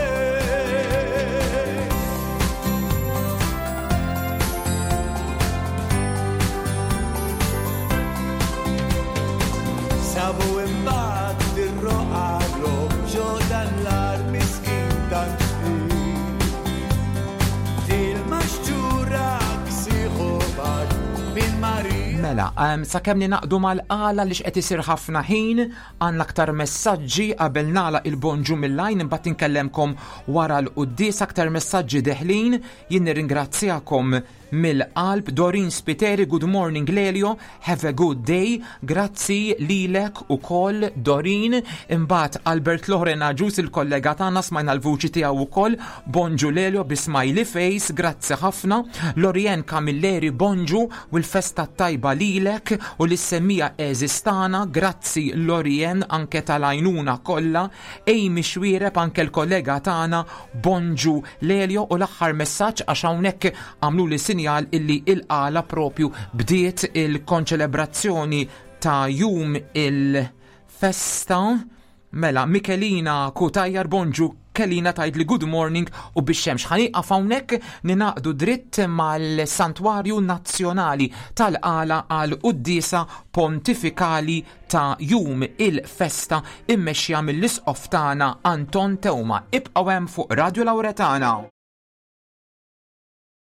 Speaker 7: Sabu imbagħad ir-roqa ġo dan l-ar miskin tant fqir. Dil-maxġura ksiħu bad minn Marija.
Speaker 6: Mela, sakemm ninaqdu mal-qala li x'qed isir ħafna ħin, għandna aktar messaġġi qabel nagħlaq il-bonġu mill-għajn imbagħad inkellemkom wara l-quddies aktar messaġġi deħlin. Jien nirringrazzjakom mill-qalb. Dorin Spiteri, good morning Lelio, have a good day. Grazzi lilek ukoll Dorin. Imbagħad Albert Loren Agius il-kollega tagħna smajna l-vuċi tiegħu ukoll. Bonġu Lelio bi smiley face, grazzi ħafna. Lorien Camilleri, bonġu u l-festa tajba lilek u lis-semmija għeżież tagħna. Grazzi Lorien anke tal-għajnuna kollha. Amy Xwiereb anke l-kollega tagħna, bonġu Lelio. U l-aħħar messaġġ għax hawnhekk għamluli sinjal illi il-qala propju bdiet il-konċelebrazzjoni ta' jum il-festa. Mela, Michelina Cutajar, bonġu Kelina tgħid li good morning u bix-xemx. Ħa nieqaf hawnhekk ninaqdu dritt mal-Santwarju Nazzjonali tal-Qala għal quddiesa pontifikali ta' jum il-festa immexxija mill-Isqof tagħna Anton Teuma. Ibqgħu hemm fuq Radio Lauretana.